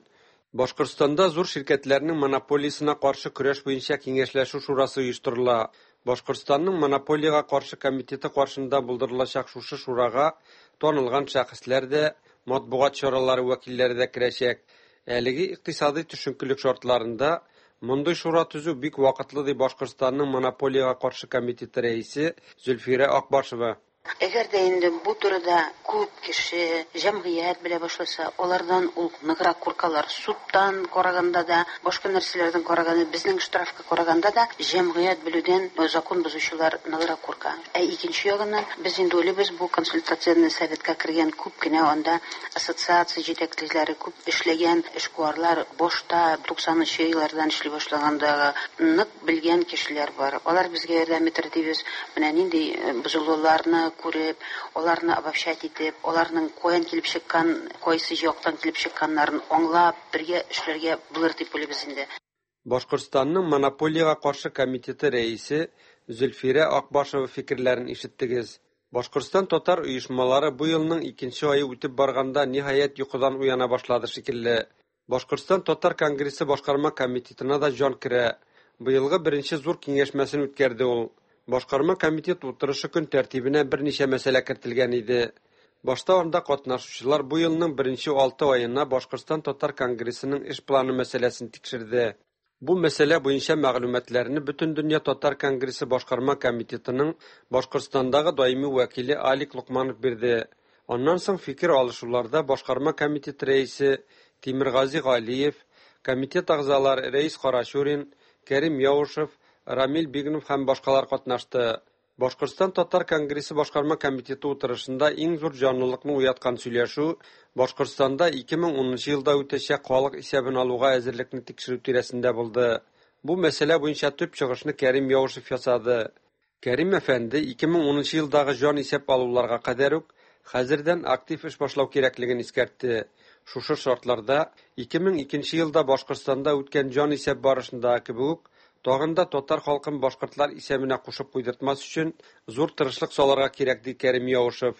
Башкортстанда зур ширкәтләрнең монополиясенә каршы көрәш буенча киңәшләшү шурасы оештырыла. Башкортстанның монополиягә каршы комитеты каршында булдырылачак шушы шурага танылган шәхесләр дә, матбугат чаралары вәкилләре дә керәчәк. Әлеге икътисади төшенкелек шартларында мондый шура төзү бик вакытлы, ди Башкортстанның монополиягә каршы комитеты рәисе Зөлфирә Акбашева. Әгәр дә инде бу турыда күп кеше, җәмгыять белә башласа, алардан ул ныграк куркалар. Судтан караганда да, башка нәрсәләрдән караганда, безнең штрафка караганда да җәмгыять белүдән закон бозучылар ныграк курка. Ә икенче ягыннан без инде уйлыйбыз, бу консультативный советка кергән күп кенә анда ассоциация җитәкчеләре, күп эшләгән эшкуарлар башта туксанынчы еллардан эшли башлаганда нык белгән кешеләр бар. Алар безгә ярдәм итер дибез. Менә нинди бозылуларны күреп, аларны обобщать итеп, аларның каян килеп чыккан, кайсы яктан килеп чыкканнарын аңлап, бергә эшләргә булыр дип уйлыйбыз инде. Башкортстанның монополиягә каршы комитеты рәисе Зөлфирә Акбашева фикерләрен ишеттегез. Башкортстан татар оешмалары бу елның икенче ае үтеп барганда ниһаять йокыдан уяна башлады шикелле. Башкортстан татар конгрессы башкарма комитетына да җан керә. Быелгы беренче зур киңәшмәсен үткәрде ул. Башкарма комитет утырышы көн тәртибенә берничә мәсьәлә кертелгән иде. Башта анда катнашучылар бу елның беренче алты аена Башкортстан татар конгрессының эш планы мәсьәләсен тикшерде. Бу мәсьәлә буенча мәгълүматларны Бөтендөнья татар конгрессы башкарма комитетының Башкортстандагы даими вәкиле Алик Лукманов бирде. Аннан соң фикер алышуларда башкарма комитет рәисе Тимиргази Галиев, комитет әгъзалары Рәис Карачурин, Кәрим Яушев, Рамил Бигнов һәм башкалар катнашты. Башкортстан татар конгрессы башкарма комитеты утырышында иң зур җанлылыкны уяткан сөйләшү Башкортстанда ике мең унынчы елда үтәчәк халык исәбен алуга әзерлекне тикшерү тирәсендә булды. Бу мәсьәлә буенча төп чыгышны Кәрим Яушев ясады. Кәрим әфәнде ике мең унынчы елдагы җан исәп алуларга кадәр үк хәзердән актив эш башлау кирәклеген искәртте. Шушы шартларда ике мең икенче елда Башкортстанда үткән җан исәп барышындагы кебек үк тагын да татар халкын башкортлар исәбенә кушып куйдыртмас өчен зур тырышлык салырга кирәк, ди Кәрим Яушев.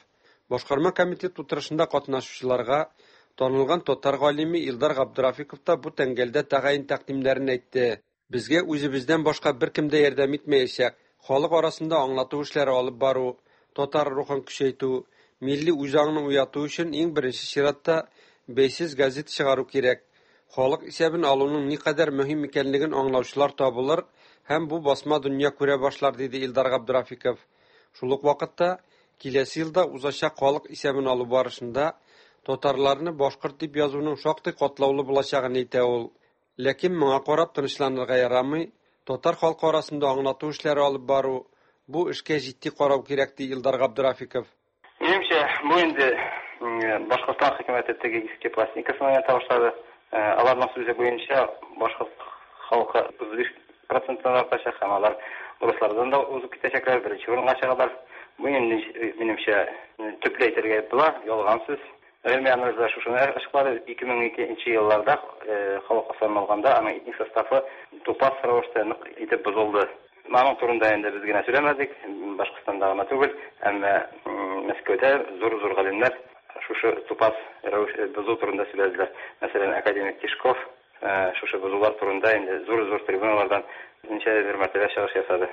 Башкарма комитет утырышында катнашучыларга танылган татар галиме Илдар Габдрафиков та бу тәңгәлдә тәгаен тәкъдимнәрен әйтте. Безгә үзебездән башка беркем дә ярдәм итмәячәк. Халык арасында аңлату эшләре алып бару, татар рухын көчәйтү, милли үзаңны уяту өчен иң беренче чиратта бәйсез газета чыгару кирәк. Халык исәбен алуның никадәр мөһим икәнлеген аңлаучылар табылыр һәм бу басма дөнья күрә башлар, диде Илдар Габдрафиков. Шул ук вакытта киләсе елда узачак халык исәбен алу барышында татарларны башкорт дип язуның шактый катлаулы булачагын әйтә ул. Ләкин моңа карап тынычланырга ярамый, татар халкы арасында аңлату эшләре алып бару, бу эшкә җитди карау кирәк, ди Илдар Габдрафиков. Минемчә, бу инде Башкортстан хөкүмәте теге иске пластинкасын уйната башлады. Аларның сүзе буенча башкорт халкы утыз биш проценттан артачак һәм алар урыслардан да узып китәчәкләр, беренче урынга чыгалар. Бу инде минемчә төпле әйтергә була, ялган сүз. Гыйльми анализлар шушыны ачыклады. ике мең икенче елларда халык санын алганда аның этник составы тупас рәвештә нык итеп бозылды. Аның турында инде без генә сөйләмәдек, Башкортстанда гына түгел, әмма Мәскәүдә зур-зур галимнәр шушы тупас рәвеш бозу турында сөйләделәр. Мәсәлән, академик Тишков шушы бозулар турында инде зур-зур трибуналардан ничәдер мәртәбә чыгыш ясады.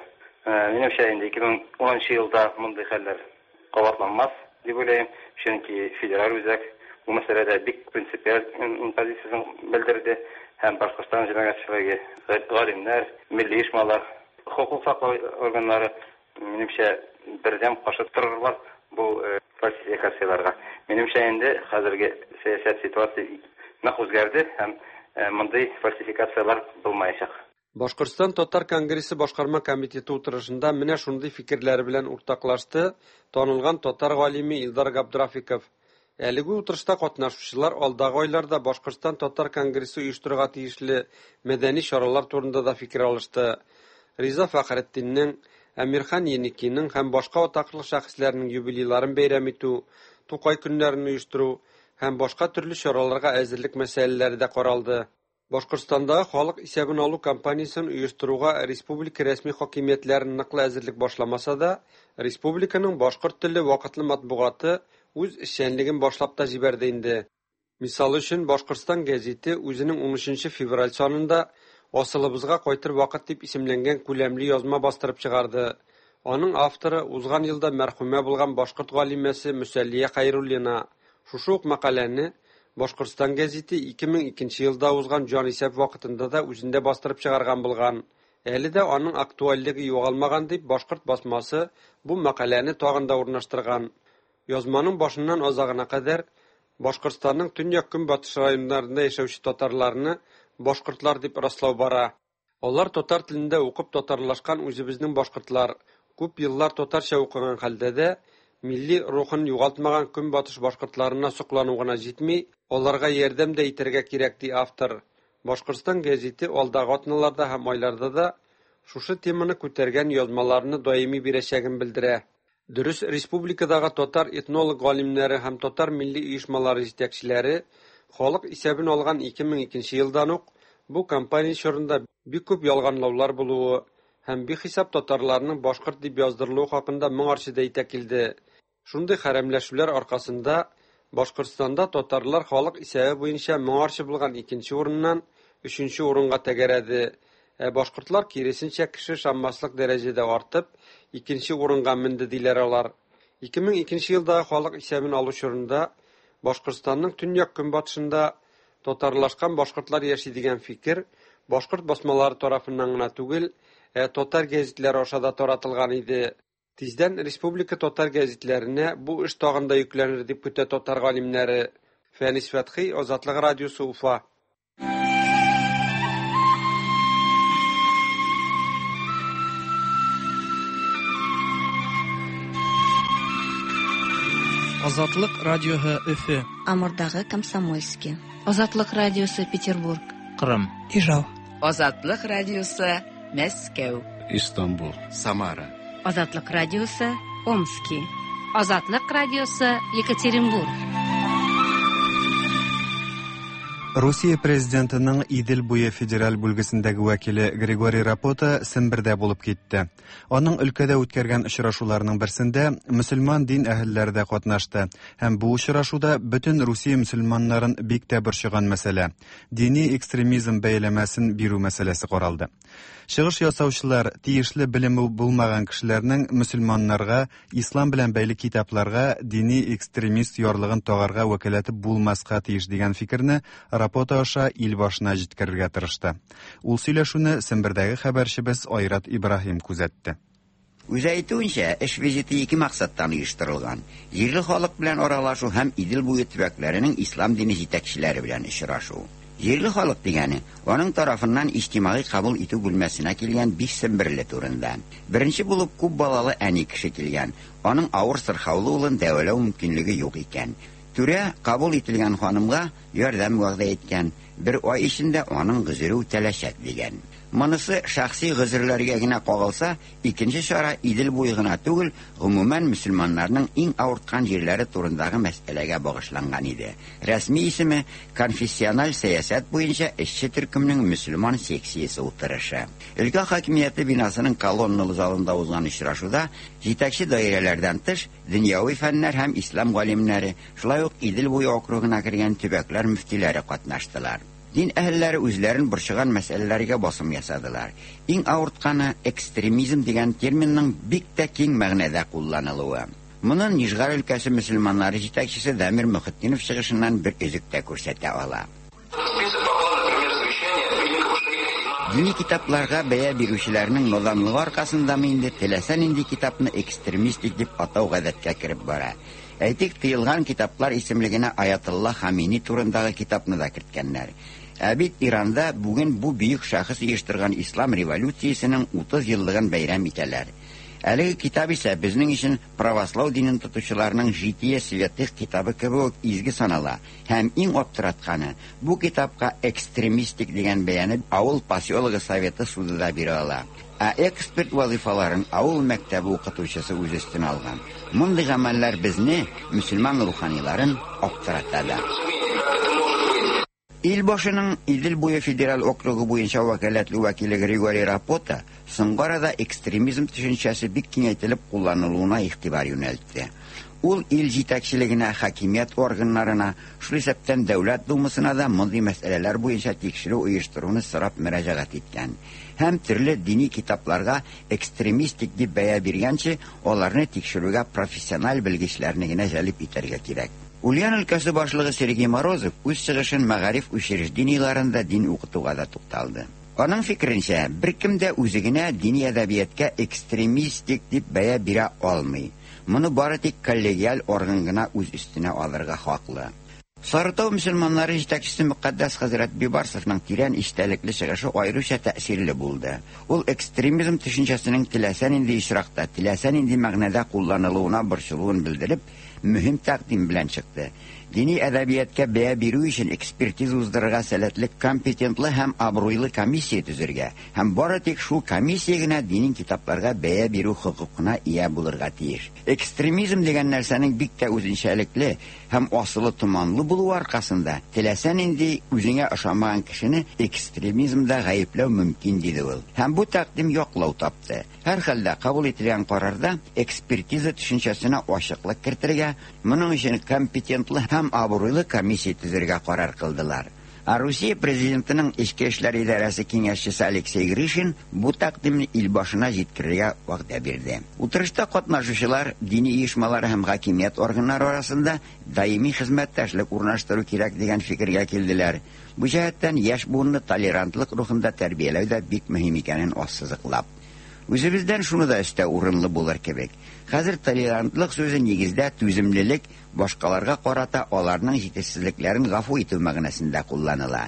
Минемчә, инде ике мең унынчы елда мондый хәлләр кабатланмас дип уйлыйм, чөнки федераль үзәк бу мәсьәләдә бик принципиаль позициясен белдерде һәм Башкортстан җәмәгатьчелеге, галимнәр, милли оешмалар, хокук саклау органнары минемчә бердәм каршы торырлар бу фальсификацияләргә. Минемчә, инде хәзерге сәясәт ситуация нык үзгәрде һәм мондый фальсификацияләр булмаячак. Башкортстан Татар конгрессы башкарма комитеты утырышында менә шундый фикерләре белән уртаклашты танылган татар галиме Илдар Габдрафиков. Әлеге утырышта катнашучылар алдагы айларда Башкортстан Татар конгрессы оештырырга тиешле мәдәни чаралар турында да фикер алышты. Риза Фәхретдиннең, Әмирхан Еникинең һәм башка атаклы шәхесләрнең юбилейларын бәйрәм итү, Тукай көннәрен оештыру һәм башка төрле чараларга әзерлек мәсьәләләре дә каралды. Башкортстандагы халык исәбен алу кампаниясен оештыруга республика рәсми хакимиятләре ныклы әзерлек башламаса да, республиканың башкорт телле вакытлы матбугаты үз эшчәнлеген башлап та җибәрде инде. Мисал өчен, Башкортстан гәзите үзенең унөченче февраль санында «Асылыбызга кайтыр вакыт» дип исемләнгән күләмле язма бастырып чыгарды. Аның авторы узган елда мәрхүмә булган башкорт галимәсе Мөсәллия Хәйруллина. Шушы ук мәкаләне Башкортстан гәзите ике мең икенче елда узган җанисәп вакытында да үзендә бастырып чыгарган булган. Әле дә аның актуальлеге югалмаган дип башкорт басмасы бу мәкаләне тагын да урнаштырган. Язманың башыннан азагына кадәр Башкортстанның төньяк-көнбатыш районнарында яшәүче татарларны башкортлар дип раслау бара. Алар татар телендә укып татарлашкан үзебезнең башкортлар, күп еллар татарча укыган хәлдә дә милли рухын югалтмаган көнбатыш башкортларына соклану гына җитми, аларга ярдәм дә итәргә кирәк, ди автор. Башкортстан гәзите алдагы атналарда һәм айларда да шушы теманы күтәргән язмаларны даими бирәчәген белдерә. Дөрес, республикадагы татар этнолог галимнәре һәм татар милли оешмалары җитәкчеләре халык исәбен алган ике мең икенче елдан ук бу кампания чорында бик күп ялганлаулар булуы һәм бихисап татарларның башкорт дип яздырылуы хакында моңарчы да әйтә килде. Шундый хәрәмләшүләр аркасында Башкортстанда татарлар халык исәбе буенча моңарчы булган икенче урыннан өченче урынга тәгәрәде. Ә башкортлар киресенчә кеше ышанмаслык дәрәҗәдә артып, икенче урынга менде диләр алар. ике мең икенче елдагы халык исәбен алу чорында Башкортстанның төньяк-көнбатышында татарлашкан башкортлар яши дигән фикер башкорт басмалары тарафыннан гына түгел, ә татар гәзитләре аша да таратылган иде. Тиздән республика татар гәзитләренә бу эш тагын да йөкләнер дип көтә татар галимнәре. Фәнис Фәтхи, Азатлык радиосы, Уфа. Азатлык радиосы Өфе. Амурдагы Комсомольский. Азатлык радиосы Петербург. Кырым. Ижау. Азатлык радиосы Мәскәү. Истанбул. Самара. Азатлык радиосы, Омски. Азатлык радиосы, Екатеринбург. Русия президентының Идел буе федераль бүлгесендәге вәкиле Григорий Рапота Сембердә булып китте. Аның өлкәдә үткәргән очрашуларының берсендә мөселман дин әһелләре дә катнашты. Һәм бу очрашуда бөтен Русия мөселманнарын бик тә борчыган мәсьәлә дини экстремизм бәяләмәсен бирү мәсьәләсе каралды. Чыгыш ясаучылар тиешле белеме булмаган кешеләрнең мөселманнарга ислам белән бәйле китапларга дини экстремист ярлыгын тагарга вәкаләте булмаска тиеш дигән фикерне Рапота аша ил башына җиткерергә тырышты. Ул сөйләшүне Сембердәге хәбәрчебез Айрат Ибраһим күзәтте. Үзе әйтүенчә, эш визиты ике максаттан оештырылган: җирле халык белән аралашу һәм Идел буе төбәкләренең ислам дине җитәкчеләре белән очрашу. Җирле халык дигәне аның тарафыннан иҗтимагый кабул итү бүлмәсенә килгән биш семберле турында. Беренче булып күп балалы әни кеше килгән. Аның авыр сырхаулы улын дәвалау мөмкинлеге юк икән. Түрә кабул ителгән ханымга ярдәм вәгъдә иткән, бер ай эчендә аның гозере үтәләчәк дигән. Монысы шәхси гозерләргә генә кагылса, икенче чара Идел буе гына түгел, гомумән мөселманнарның иң авырткан җирләре турындагы мәсьәләгә багышланган иде. Рәсми исеме конфессиональ сәясәт буенча эшче төркемнең мөселман секциясе утырышы. Өлкә хакимияте бинасының колонналы залында узган очрашуда җитәкче даирәләрдән тыш дөньяви фәннәр һәм ислам галимнәре, шулай ук Идел буе округына кергән төбәкләр мөфтиләре катнаштылар. Дин әһелләре үзләрен борчыган мәсьәләләргә басым ясадылар. Иң авыртканы экстремизм дигән терминның бик тә киң мәгънәдә кулланылуы. Моны Нижгар өлкәсе мөселманнары җитәкчесе Дамир Мөхетдинов чыгышыннан бер өзек тә күрсәтә ала. Дини китапларга бәя бирүчеләрнең наданлыгы аркасындамы инде теләсә нинди китапны экстремистик дип атау гадәткә кереп бара. Әйтик, тыелган китаплар исемлегенә Аятулла Хамини турындагы китапны да керткәннәр. Ә бит Иранда бүген бу бөек шәхес оештырган ислам революциясенең утыз еллыгын бәйрәм итәләр. Әлеге китап исә безнең өчен православ динен тотучыларның Житие святых китабы кебек изге санала. Һәм иң аптыратканы, бу китапка экстремистик дигән бәяне авыл поселогы советы суды да бирә ала. Ә эксперт вазифаларын авыл мәктәбе укытучысы үз өстенә алган. Мондый гамәлләр безне, мөселман руханиларын, аптырата да. Ил башының Идел буе федераль округы буенча вәкаләтле вәкиле Григорий Рапота соңгы арада экстремизм төшенчәсе бик киңәйтелеп кулланылуына игътибар юнәлтте. Ул ил җитәкчелегенә, хакимият органнарына, шул исәптән Дәүләт Думасына да мондый мәсьәләләр буенча тикшерү оештыруны сорап мөрәҗәгать иткән. Һәм төрле дини китапларга экстремистик дип бәя биргәнче, аларны тикшерүгә профессиональ белгечләрне генә җәлеп итәргә кирәк. Ульян өлкәсе башлыгы Сергей Морозов үз чыгышын мәгариф учреждениеләрендә дин укытуга да тукталды. Аның фикеренчә, беркем дә үзе генә дини әдәбиятка экстремистик дип бәя бирә алмый. Моны бары тик коллегиаль орган гына үз өстенә алырга хаклы. Сарытау мөселманнары җитәкчесе Мөкаддәс хәзрәт Бибарсовның тирән истәлекле чыгышы аеруча тәэсирле булды. Ул экстремизм төшенчәсенең теләсә нинди очракта, теләсә нинди мәгънәдә кулланылуына борчылуын белдереп, мөһим тәкъдим белән чыкты. Дини әдәбиятка бәя бирү өчен экспертиза уздырырга сәләтле, компетентлы һәм абруйлы комиссия төзергә һәм бары тик шул комиссия генә дини китапларга бәя бирү хокукына ия булырга тиеш. Экстремизм дигән нәрсәнең бик тә үзенчәлекле һәм асылы томанлы булуы аркасында теләсә нинди үзеңә ошамаган кешене экстремизмда гаепләү мөмкин, диде ул. Һәм бу тәкъдим яклау тапты. Һәр хәлдә кабул ителгән карарда экспертиза төшенчәсенә ачыклык кертергә, моның өчен компетентлы һәм абруйлы комиссия төзергә карар кылдылар. Ә Русия президентының Эчке эшләр идарәсе киңәшчесе Алексей Гришин бу тәкъдимне ил башына җиткерергә вәгъдә бирде. Утырышта катнашучылар дини оешмалар һәм хакимият органнары арасында даими хезмәттәшлек урнаштыру кирәк дигән фикергә килделәр. Бу җәһәттән яшь буынны толерантлык рухында тәрбияләү дә бик мөһим икәнен ассызыклап. Үзебездән шуны да өстәү урынлы булыр кебек. Хәзер толерантлык сүзе нигездә түземлелек, башкаларга карата аларның җитешсезлекләрен гафу итү мәгънәсендә кулланыла.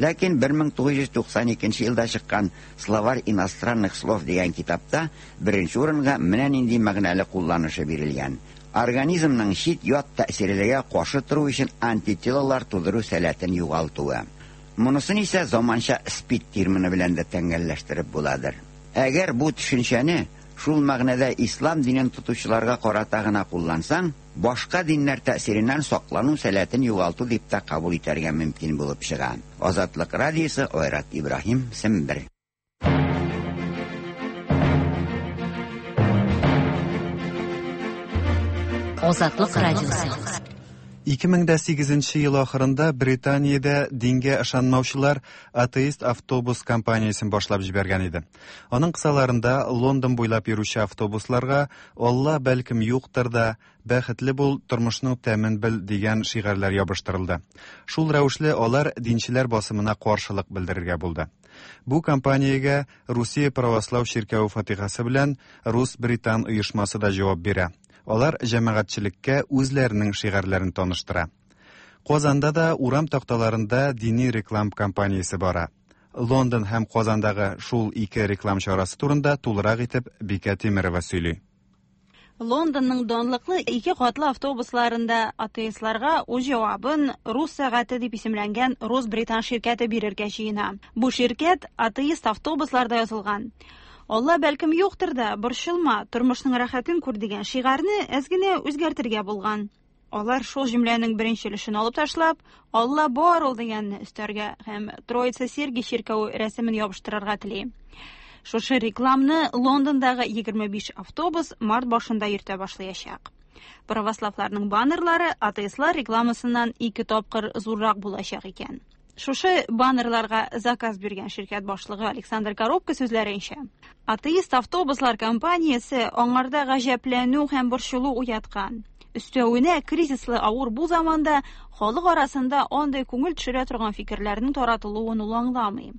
Ләкин бер мең тугыз йөз туксан икенче елда чыккан Словарь иностранных слов дигән китапта беренче урынга менә нинди мәгънәле кулланышы бирелгән. Организмның чит ят тәэсирләргә каршы тору өчен антителалар тудыру сәләтен югалтуы. Монысын исә заманча СПИД термины белән дә тәңгәлләштереп буладыр. Әгәр бу төшенчәне шул мәгънәдә ислам динен тотучыларга карата гына куллансаң, башка диннәр тәэсиреннән саклану сәләтен югалту дип тә кабул итәргә мөмкин булып чыга. Азатлык радиосы, Айрат Ибраһим, Сембер. Азатлык радиосы. ике мең дә сигезенче ел ахырында Британиядә дингә ышанмаучылар атеист автобус компаниясен башлап җибәргән иде. Аның кысаларында Лондон буйлап йөрүче автобусларга «Алла бәлкем юктыр да, бәхетле бул, тормышның тәмен бел» дигән шигарьләр ябыштырылды. Шул рәвешле алар динчеләр басымына каршылык белдерергә булды. Бу кампаниягә Русия православ чиркәве фатихасы белән Рус-Британ оешмасы да җавап бирә. Алар җәмәгатьчелеккә үзләренең шигарьләрен таныштыра. Казанда да урам такталарында дини реклам кампаниясе бара. Лондон һәм Казандагы шул ике реклам чарасы турында тулырак итеп Бикә Тимерова сөйли. Лондонның данлыклы ике катлы автобусларында атеистларга үз җавабын «Рус сәгате» дип исемләнгән рус-британ ширкәте бирергә җыена. Бу ширкәт атеист автобусларда язылган. Алла бәлкем юктыр да, борчылма, тормышның рәхәтен күр дигән шигарьне әз генә үзгәртергә булган. Алар шул җөмләнең беренче өлешен алып ташлап, Алла бар ул дигәнне өстәргә һәм Троица Сергий чиркәве рәсемен ябыштырырга тели. Шушы рекламны Лондондагы егерме биш автобус март башында йөртә башлаячак. Православларның баннерлары атеистлар рекламасыннан ике тапкыр зуррак булачак икән. Шушы баннерларга заказ биргән ширкәт башлыгы Александр Коробко сүзләренчә, атеист автобуслар компаниясе аңарда гаҗәпләнү һәм борчылу уяткан. Өстәвенә кризислы авыр бу заманда халык арасында андый күңел төшерә торган фикерләрнең таратылуын ул аңламый.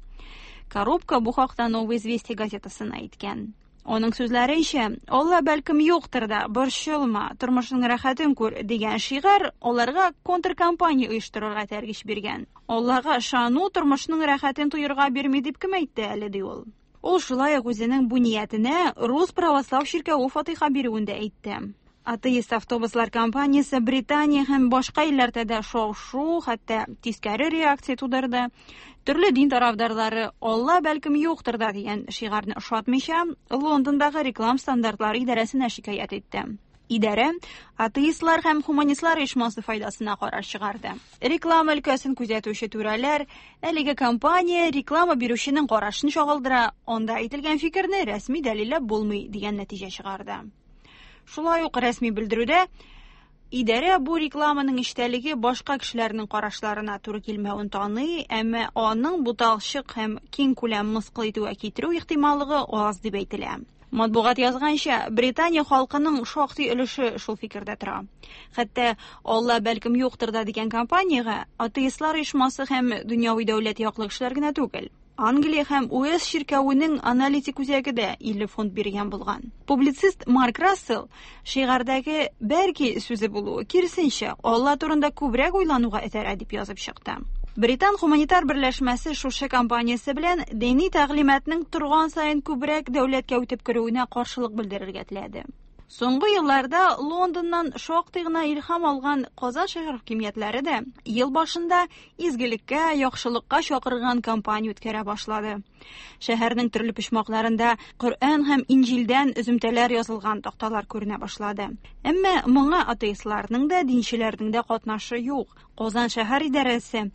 Коробка бу хакта «Новые известия» газетасына әйткән. Аның сүзләренчә, Алла бәлкем юктыр да, борчылма, тормышның рәхәтен күр дигән шигарь аларга контркампания оештырырга этәргеч биргән. Аллага ышану тормышның рәхәтен тоерга бирми дип кем әйтте әле, ди ул. Ул шулай ук үзенең бу ниятенә Рус православ чиркәве фатиха бирүен дә әйтте. Атеист автобуслар компаниясе Британия һәм башка илләрдә дә шау-шу, хәтта тискәре реакция тудырды. Төрле дин тарафдарлары «Алла бәлкем юктыр да» дигән шигарьне ошатмыйча, Лондондагы реклам стандартлары идарәсенә шикаять итте. Идарә атеистлар һәм хуманистлар оешмасы файдасына карар чыгарды. Реклама өлкәсен күзәтүче түрәләр әлеге компания реклама бирүченең карашын чагылдыра, анда әйтелгән фикерне рәсми дәлилләп булмый дигән нәтиҗә чыгарды. Шулай ук рәсми белдерүдә идарә бу рекламаның эчтәлеге башка кешеләрнең карашларына туры килмәвен таный, әмма аның буталчык һәм киң күләм мыскыл итүгә китерү ихтималлыгы аз дип әйтелә. Матбугат язганча, Британия халкының шактый өлеше шул фикердә тора. Хәтта «Алла бәлкем юктыр да» дигән кампаниягә атеистлар оешмасы һәм дөньяви дәүләт яклы кешеләр генә түгел, Англия һәм Уэльс чиркәвенең аналитик үзәге дә илле фунт биргән булган. Публицист Марк Рассел шигарьдәге «бәлки» сүзе булуы киресенчә Алла турында күбрәк уйлануга этәрә дип язып чыкты. Британ гуманитар берләшмәсе шушы кампаниясе белән дини тәгълиматның торган саен күбрәк дәүләткә үтеп керүенә каршылык белдерергә теләде. Соңгы елларда Лондоннан шактый гына илһам алган Казан шәһәр хакимиятләре дә ел башында изгелеккә, яхшылыкка чакырган кампания үткәрә башлады. Шәһәрнең төрле почмакларында Коръән һәм Инҗилдән өземтәләр язылган такталар күренә башлады. Әмма моңа атеистларның да, динчеләрнең дә катнашы юк. Казан шәһәр идарәсе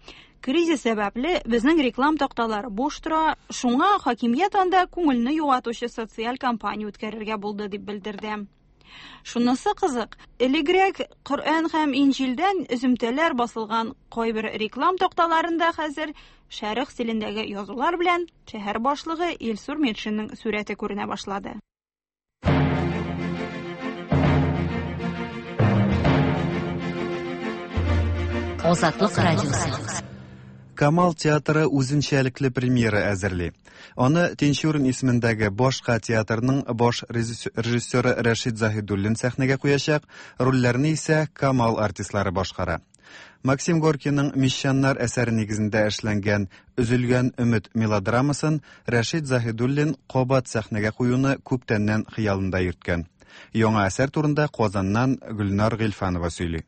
кризис сәбәпле безнең реклам такталары буш тора, шуңа хакимият анда күңелне юатучы социаль кампания үткәрергә булды дип белдерде. Шунысы кызык, элегрәк Коръән һәм Инҗилдән өземтәләр басылган кайбер реклам такталарында хәзер шәрык стилендәге язулар белән шәһәр башлыгы Илсур Метшинның сурәте күренә башлады. Азатлык радиосы. Камал театры үзенчәлекле премьера әзерли. Аны Тинчурин исемендәге башка театрның баш режиссеры Рәшит Заһидуллин сәхнәгә куячак, рольләрне исә Камал артистлары башкара. Максим Горькийның «Мещаннар» әсәре нигезендә эшләнгән «Өзелгән өмет» мелодрамасын Рәшит Заһидуллин кабат сәхнәгә куюны күптәннән хыялында йөрткән. Яңа әсәр турында Казаннан Гөлнар Гыйльфанова сөйли.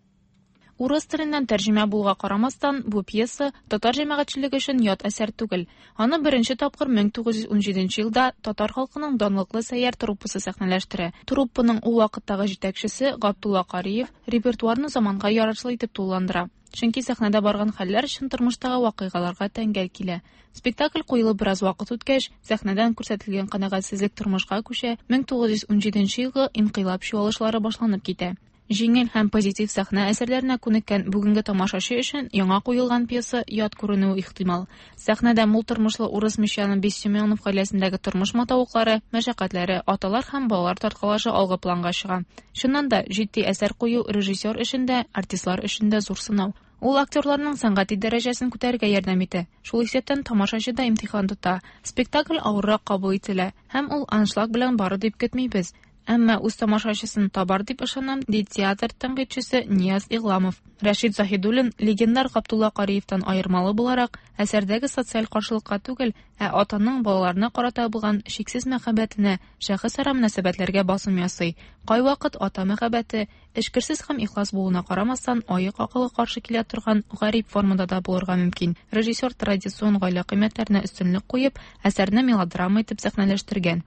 Урыс теленнән тәрҗемә булуга карамастан, бу пьеса татар җәмәгатьчелеге өчен ят әсәр түгел. Аны беренче тапкыр мең тугыз йөз унҗиденче елда татар халкының данлыклы Сәйяр труппасы сәхнәләштерә. Труппаның ул вакыттагы җитәкчесе Габдулла Кариев репертуарны заманга ярашлы итеп тулыландыра. Чөнки сәхнәдә барган хәлләр чын тормыштагы вакыйгаларга тәңгәл килә. Спектакль куелып бераз вакыт үткәч, сәхнәдән күрсәтелгән канәгатьсезлек тормышка күчә, мең тугыз йөз унҗиденче елгы инкыйлаб чуалышлары башланып китә. Җиңел һәм позитив сәхнә әсәрләренә күнеккән бүгенге тамашачы өчен яңа куелган пьеса ят күренүе ихтимал. Сәхнәдә мул тормышлы урыс мещаны Бессемёнов гаиләсендәге тормыш матавыклары, мәшәкатьләре, аталар һәм балалар тарткалашы алгы планга чыга. Чыннан да, җитди әсәр кую режиссер өчен дә, артистлар өчен дә зур сынау. Ул актерларның сәнгати дәрәҗәсен күтәрергә ярдәм итә. Шул исәптән тамашачы да имтихан тота. Спектакль авыррак кабул ителә һәм ул аншлаг белән бары дип көтмибез. Әмма үз тамашачысын табар дип ышанам, ди театр тәнкыйтьчесе Нияз Игламов. Рәшит Заһидуллин легендар Габдулла Кариевтан аермалы буларак, әсәрдәге социаль каршылыкка түгел, ә атаның балаларына карата булган шиксез мәхәббәтенә, шәхесара мөнәсәбәтләргә басым ясый. Кайвакыт ата мәхәббәте эчкерсез һәм ихлас булуына карамастан, аек акылга каршы килә торган гарип формада да булырга мөмкин. Режиссер традицион гаилә кыйммәтләренә өстенлек куеп, әсәрне мелодрама итеп сәхнәләштергән.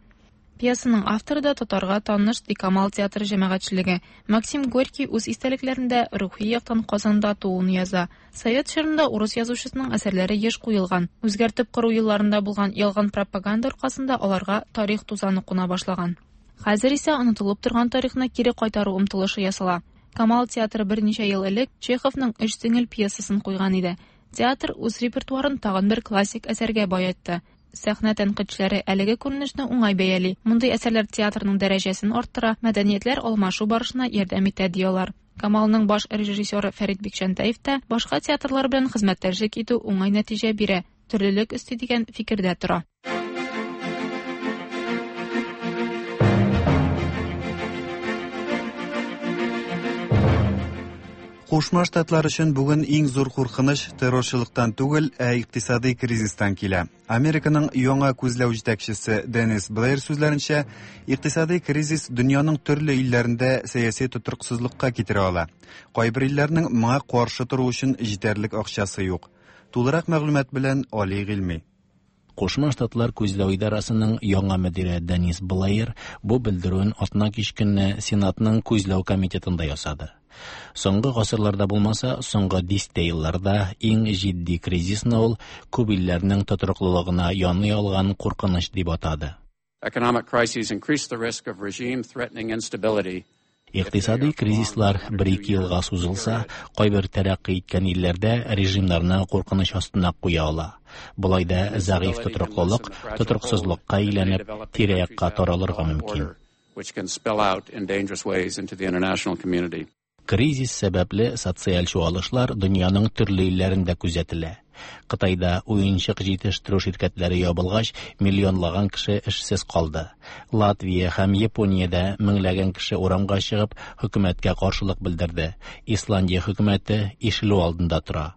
Пьесаның авторы да татарга таныш ди Камал театры җәмәгатьчелеге. Максим Горький үз истәлекләрендә рухи яктан Казанда тууын яза. Совет чорында урыс язучысының әсәрләре еш куелган. Үзгәртеп кору елларында булган ялган пропаганда аркасында аларга тарих тузаны куна башлаган. Хәзер исә онытылып торган тарихны кире кайтару омтылышы ясала. Камал театры берничә ел элек Чеховның Өч сеңел пьесасын куйган иде. Театр үз репертуарын тагын бер классик әсәргә баетты. Сәхнә тәнкыйтьчеләре әлеге күренешне уңай бәяли. Мондый әсәрләр театрның дәрәҗәсен арттыра, мәдәниятләр алмашу барышына ярдәм итә диялар. Камалның баш режиссеры Фәрит Бикчәнтәев тә башка театрлар белән хезмәттәшлек итү уңай нәтиҗә бирә, төрлелек өсти дигән фикердә тора. Кушма Штатлар өчен бүген иң зур куркыныч террорчылыктан түгел, ә икътисади кризистан килә. Американың яңа күзләү җитәкчесе Денис Блэйр сүзләренчә, икътисади кризис дөньяның төрле илләрендә сәяси тотрыксызлыкка китерә ала. Кайбер илләрнең моңа каршы тору өчен җитәрлек акчасы юк. Тулырак мәгълүмат белән Али Гыйльми. Кушма Штатлар күзләү идарасының яңа мөдире Денис Блэйр бу белдерүен атна кич көнне Сенатның күзләү комитетында ясады. Соңгы гасырларда булмаса, соңгы дистә елларда иң җитди кризисны ул күп илләрнең тотрыклылыгына яный алган куркыныч дип атады. Economic crises increase the risk of regime-threatening instability. Икътисади кризислар бер-ике елга сузылса, кайбер тәрәккый иткән илләрдә режимнарны куркыныч астына куя ала. Болай да зәгыйфь тотрыклылык тотрыксызлыкка әйләнеп, тирә-якка таралырга мөмкин. Which can spill out in dangerous ways into the international community. Кризис сәбәпле социаль чуалышлар дөньяның төрле илләрендә күзәтелә. Кытайда уенчык җитештерү ширкәтләре ябылгач, миллионлаган кеше эшсез калды. Латвия һәм Япониядә меңләгән кеше урамга чыгып, хөкүмәткә каршылык белдерде. Исландия хөкүмәте ишелү алдында тора.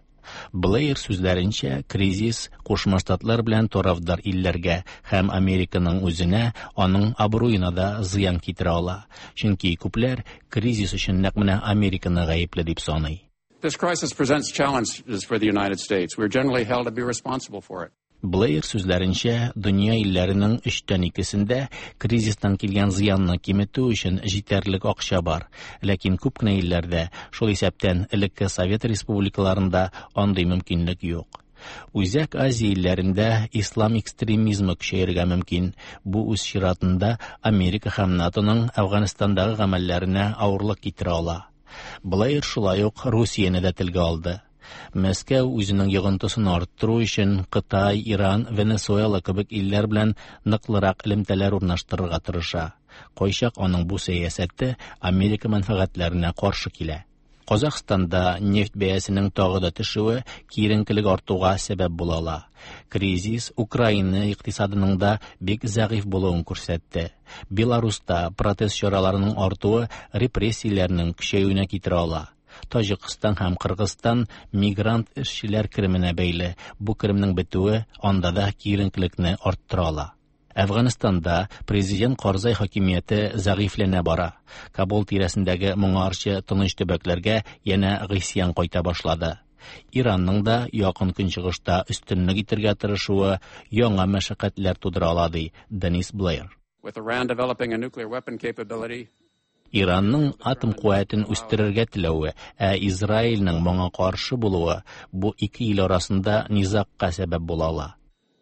Блэйр сүзләренчә, кризис Кушма Штатлар белән тарафдар илләргә һәм Американың үзенә, аның абруена да зыян китерә ала. Чөнки күпләр кризис өчен нәкъ менә Американы гаепле дип саный. This crisis presents challenges for the United States. We are generally held to be responsible for it. Блэйр сүзләренчә, дөнья илләренең өчтән икесендә кризистан килгән зыянны киметү өчен җитәрлек акча бар. Ләкин күп кенә илләрдә, шул исәптән элекке Совет республикаларында андый мөмкинлек юк. Үзәк Азия илләрендә ислам экстремизмы көчәергә мөмкин. Бу үз чиратында Америка һәм НАТОның Әфганстандагы гамәлләренә авырлык китерә ала. Блэйр шулай ук Русияне дә телгә алды. Мәскәү үзенең йогынтысын арттыру өчен Кытай, Иран, Венесуэла кебек илләр белән ныклырак элемтәләр урнаштырырга тырыша. Кайчак аның бу сәясәте Америка мәнфәгатьләренә каршы килә. Казахстанда нефть бәясенең тагы да төшүе киеренкелек артуга сәбәп була ала. Кризис Украина икътисадының да бик зәгыйфь булуын күрсәтте. Беларуста протест чараларының артуы репрессияләрнең көчәюенә китерә ала. Таҗикстан һәм Кыргызстан мигрант эшчеләр кеременә бәйле. Бу керемнең бетүе анда да киеренкелекне арттыра ала. Әфганстанда президент Карзай хакимияте зәгыйфьләнә бара. Кабул тирәсендәге моңарчы тыныч төбәкләргә янә гыйсьян кайта башлады. Иранның да якын көнчыгышта өстенлек итәргә тырышуы яңа мәшәкатьләр тудыра ала, ди Денис Блэйр. With Iran developing a nuclear weapon capability, Иранның атом куәтен үстерергә теләве, ә Израильнең моңа каршы булуы бу ике ил арасында низагка сәбәп була ала.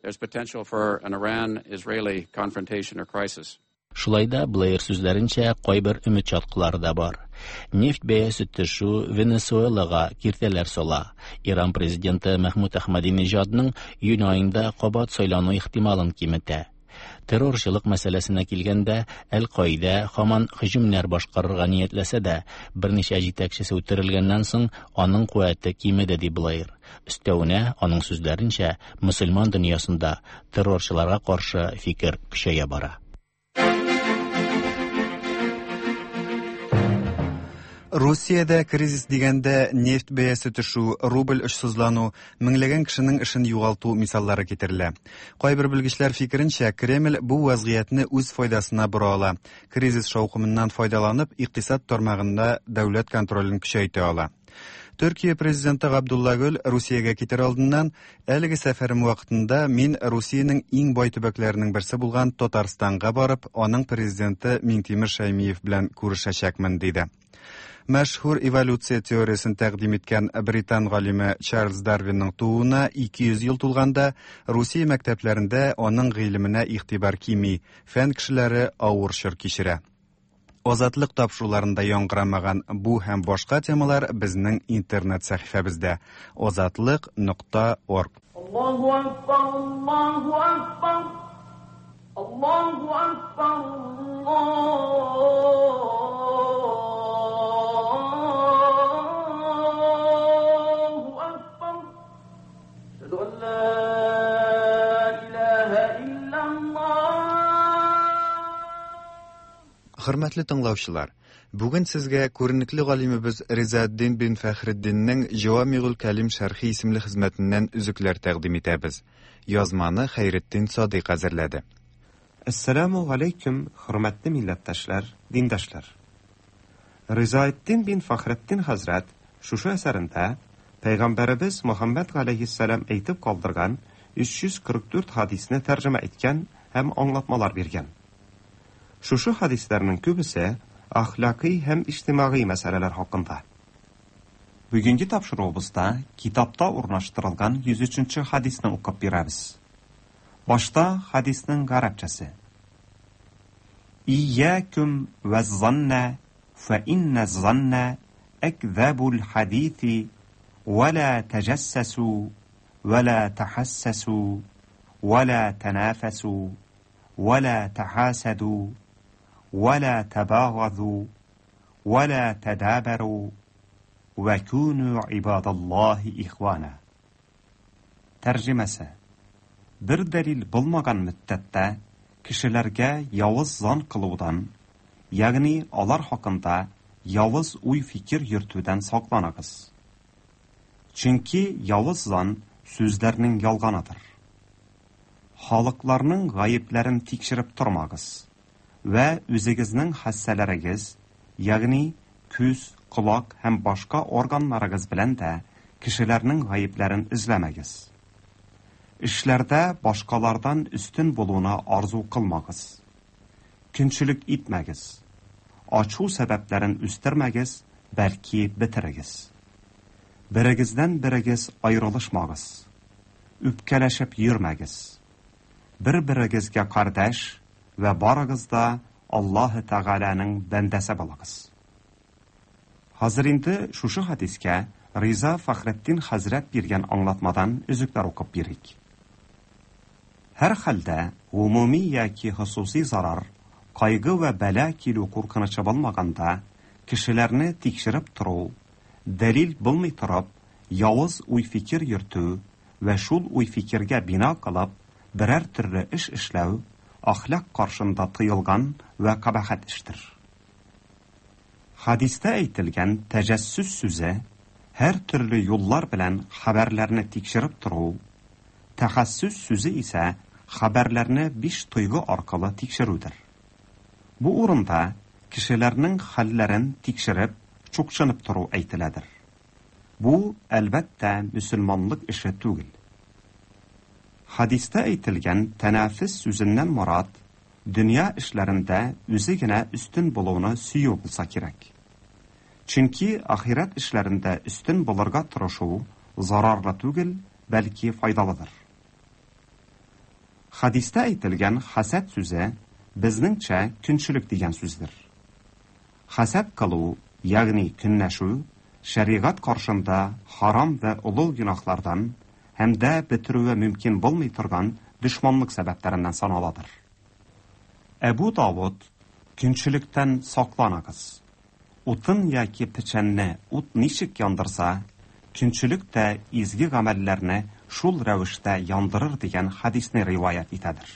there's potential for an Iran-Israeli confrontation or crisis. Шулай да Блэйр сүзләренчә, кайбер өмет чаткылары да бар. Нефть бәясе төшү Венесуэлага киртәләр сала. Иран президенты Мәхмүд Әхмәдинежадның июнь аенда кабат сайлану ихтималын киметә. Террорчылык мәсьәләсенә килгәндә, Әл-Каидә һаман һөҗүмнәр башкарырга ниятләсә дә, берничә җитәкчесе үтерелгәннән соң аның куәте кимеде, ди Блэйр. Өстәвенә, аның сүзләренчә, мөселман дөньясында террорчыларга каршы фикер көчәя бара. Русиядә кризис дигәндә нефть бәясе төшү, рубль очсызлану, меңләгән кешенең эшен югалту мисаллары китерелә. Кайбер белгечләр фикеренчә, Кремль бу вазгыятьне үз файдасына бора ала. Кризис шаукымыннан файдаланып, икътисад тармагында дәүләт контролен көчәйтә ала. Төркия президенты Габдулла Гөл Русиягә китер алдыннан әлеге сәфәрем вакытында мин Русиянең иң бай төбәкләренең берсе булган Татарстанга барып, аның президенты Миңтимер Шәймиев белән күрешәчәкмен, диде. Мәшһүр эволюция теориясен тәкъдим иткән британ галиме Чарльз Дарвинның тууына ике йөз ел тулганда Русия мәктәпләрендә аның гыйлеменә игътибар кими, фән кешеләре авыр чор кичерә. Азатлык тапшыруларында яңгырамаган бу һәм башка темалар безнең интернет сәхифәбездә азатлык нокта орг. Аллаһу акбар, Аллаһу акбар, Аллаһу акбар, Аллаһу акбар. Әшһәду ан ла илаһа иллаллаһ. Хөрмәтле тыңлаучылар, бүген сезгә күренекле галимебез Ризаэддин бин Фәхретдиннең Җавамигул Кәлим шәрхи исемле хезмәтеннән өзекләр тәкъдим итәбез. Язманы Хәйретдин Садыйк әзерләде. Әссәламу алейкум, хөрмәтле милләттәшләр, диндашлар. Ризаэддин бин Фәхретдин хәзрәт шушы әсәрендә Пәйгамбәребез Мөхәммәд галәйһиссәлам әйтеп калдырган өч йөз кырык дүрт хадисне тәрҗемә иткән һәм аңлатмалар биргән. Шушы хадисләрнең күбесе әхлакый һәм иҗтимагый мәсьәләләр хакында. Бүгенге тапшыруыбызда китапта урнаштырылган йөз өченче хадисне укып бирәбез. Башта хадисның гарәпчәсе. Iyyakum vaz-zanna fa inna az-zanna akzabul hadithi wa la tajassasu wa la tahassasu wa la tanafasu wa la tahasadu ولا تباغضوا ولا تدابروا وكونوا عباد الله إخوانا. Тәрҗемәсе: бер дәлил булмаган мөддәттә кешеләргә явыз зан кылудан, ягъни алар хакында явыз уй-фикер йөртүдән сакланыгыз. Чөнки явыз зан сүзләрнең ялганыдыр. Халыкларның гаепләрен тикшереп тормагыз вә үзегезнең хәссәләрегез, ягъни күз, колак һәм башка органнарыгыз белән дә кешеләрнең гаепләрен эзләмәгез. Эшләрдә башкалардан өстен булуына арзу кылмагыз. Көнчелек итмәгез. Ачу сәбәпләрен үстермәгез, бәлки бетерегез. Берегездән берегез аерылышмагыз. Үпкәләшеп йөрмәгез. Бер-берегезгә кардәш вә барыгыз да Аллаһы Тәгаләнең бәндәсе булыгыз. Хәзер инде шушы хадискә Риза Фәхретдин хәзрәт биргән аңлатмадан өзекләр укып бирик. Һәр хәлдә гомуми яки хосуси зарар, кайгы вә бәла килү куркынычы булмаганда, кешеләрне тикшереп тору, дәлил булмый торып, явыз уй-фикер йөртү вә шул уй-фикергә бина кылып, берәр төрле эш эшләү әхлак каршында тыелган вә кабахәт эштер. Хадистә әйтелгән тәҗәссүс сүзе һәр төрле юллар белән хәбәрләрне тикшереп тору, тәхәссүс сүзе исә хәбәрләрне биш тойгы аркылы тикшерүдер. Бу урында кешеләрнең хәлләрен тикшереп, чукчынып тору әйтеләдер. Бу, әлбәттә, мөселманлык эше түгел. Хадистә әйтелгән тәнәфес сүзеннән морад дөнья эшләрендә үзе генә өстен булуны сөю булса кирәк. Чөнки ахирәт эшләрендә өстен булырга тырышу зарарлы түгел, бәлки файдалыдыр. Хадистә әйтелгән хәсәд сүзе безнеңчә көнчелек дигән сүздер. Хәсәд кылу, ягъни көнләшү, шәригать каршында харам вә олуг гөнаһлардан һәм дә бетерүе мөмкин булмый торган дошманлык сәбәпләреннән саналадыр. Әбу Давуд: "Көнчелектән сакланыгыз. Утын яки печәнне ут ничек яндырса, көнчелек тә изге гамәлләрне шул рәвештә яндырыр" дигән хадисне риваять итәдер.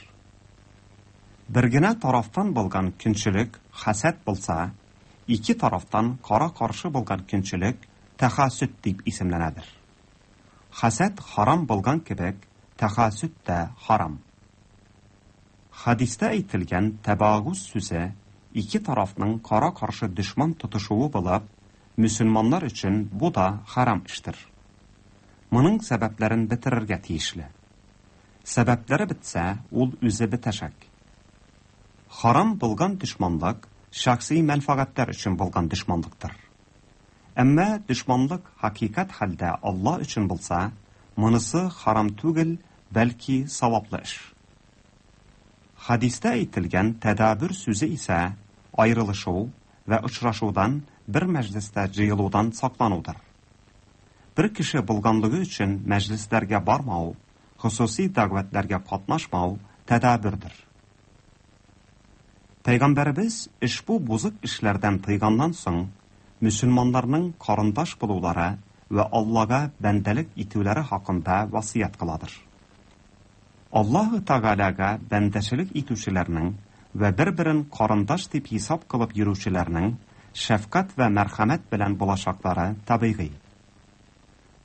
Бер генә тарафтан булган көнчелек хәсәд булса, ике тарафтан кара-каршы булган көнчелек тәхассүд дип исемләнәдер. Хәсәд харам булган кебек, тәхассүд тә харам. Хадистә әйтелгән тәбагуз сүзе ике тарафның кара-каршы дошман тотышуы булып, мөселманнар өчен бу да харам эштер. Моның сәбәпләрен бетерергә тиешле. Сәбәпләре бетсә, ул үзе бетәчәк. Харам булган дошманлык шәхси мәнфәгатьләр өчен булган дошманлыктыр. Әмма дошманлык хакыйкать хәлдә Алла өчен булса, монысы харам түгел, бәлки саваплы эш. Хадистә әйтелгән тәдабүр сүзе исә аерылышу вә очрашудан, бер мәҗлестә җыелудан сакланудыр. Бер кеше булганлыгы өчен мәҗлесләргә бармау, хосуси дәгъватларга катнашмау тәдабүрдер. Пәйгамбәребез ошбу бузык эшләрдән тыйганнан соң, мөселманнарның карындаш булулары вә Аллага бәндәлек итүләре хакында васыять кыладыр. Аллаһы Тәгаләгә бәндәчелек итүчеләрнең вә бер-берен карындаш дип хисап кылып йөрүчеләрнең шәфкать вә мәрхәмәт белән булачаклары табигый.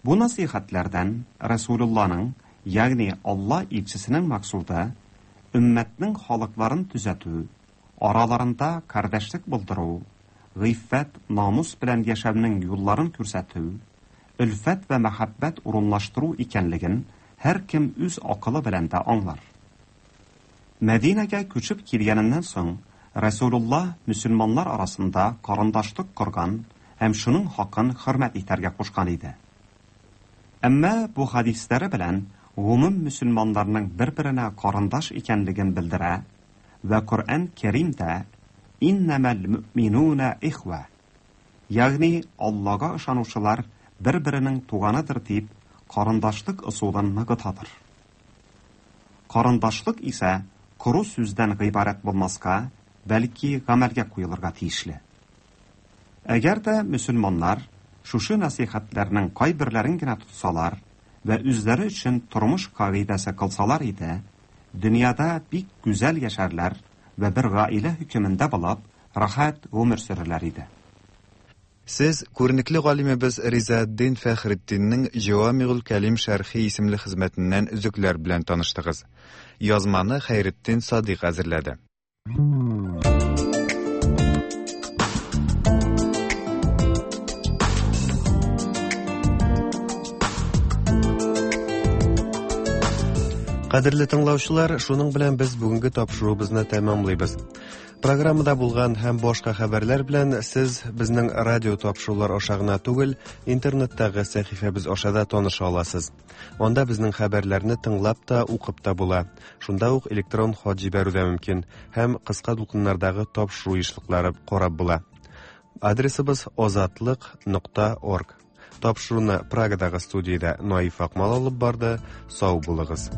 Бу насыйхәтләрдән Расулулланың, ягъни Алла илчесенең максуды өммәтнең халыкларын төзәтү, араларында кардәшлек булдыру, гыйффәт, намус белән яшәүнең юлларын күрсәтү, өлфәт вә мәхәббәт урынлаштыру икәнлеген һәркем үз акылы белән дә аңлар. Мәдинәгә күчеп килгәненнән соң, Расулулла мөселманнар арасында карындашлык корган һәм шуның хакын хөрмәт итәргә кушкан иде. Әмма бу хадисләре белән гомум мөселманнарның бер-беренә карындаш икәнлеген белдерә вә Коръән Кәримдә «Иннәмәл мөэминуна ихва», ягъни Аллага ышанучылар бер-беренең туганыдыр дип карындашлык ысулын ныгытадыр. Карындашлык исә коры сүздән гыйбарәт булмаска, бәлки гамәлгә куелырга тиешле. Әгәр дә мөселманнар шушы насыйхәтләрнең кайберләрен генә тотсалар вә үзләре өчен тормыш кагыйдәсе кылсалар иде, дөньяда бик гүзәл яшәрләр вә бер гаилә хөкемендә булып, рәхәт гомер сөрерләр иде. Сез күренекле галимебез Ризаэддин Фәхретдиннең Җавамигул Кәлим шәрхи исемле хезмәтеннән өзекләр белән таныштыгыз. Язманы Хәйретдин Садыйк әзерләде. Кадерле тыңлаучылар, шуның белән без бүгенге тапшыруыбызны тәмамлыйбыз. Программада булган һәм башка хәбәрләр белән сез безнең радио тапшырулар аша гына түгел, интернеттагы сәхифәбез аша да таныша аласыз. Анда безнең хәбәрләрне тыңлап та, укып та була. Шунда ук электрон хат җибәрү дә мөмкин һәм кыска дулкыннардагы тапшыру ешлыклары карап була. Адресыбыз озатлык нокта орг. Тапшыруны Прагадагы студиядә Наиф Акмал алып барды. Сау булыгыз.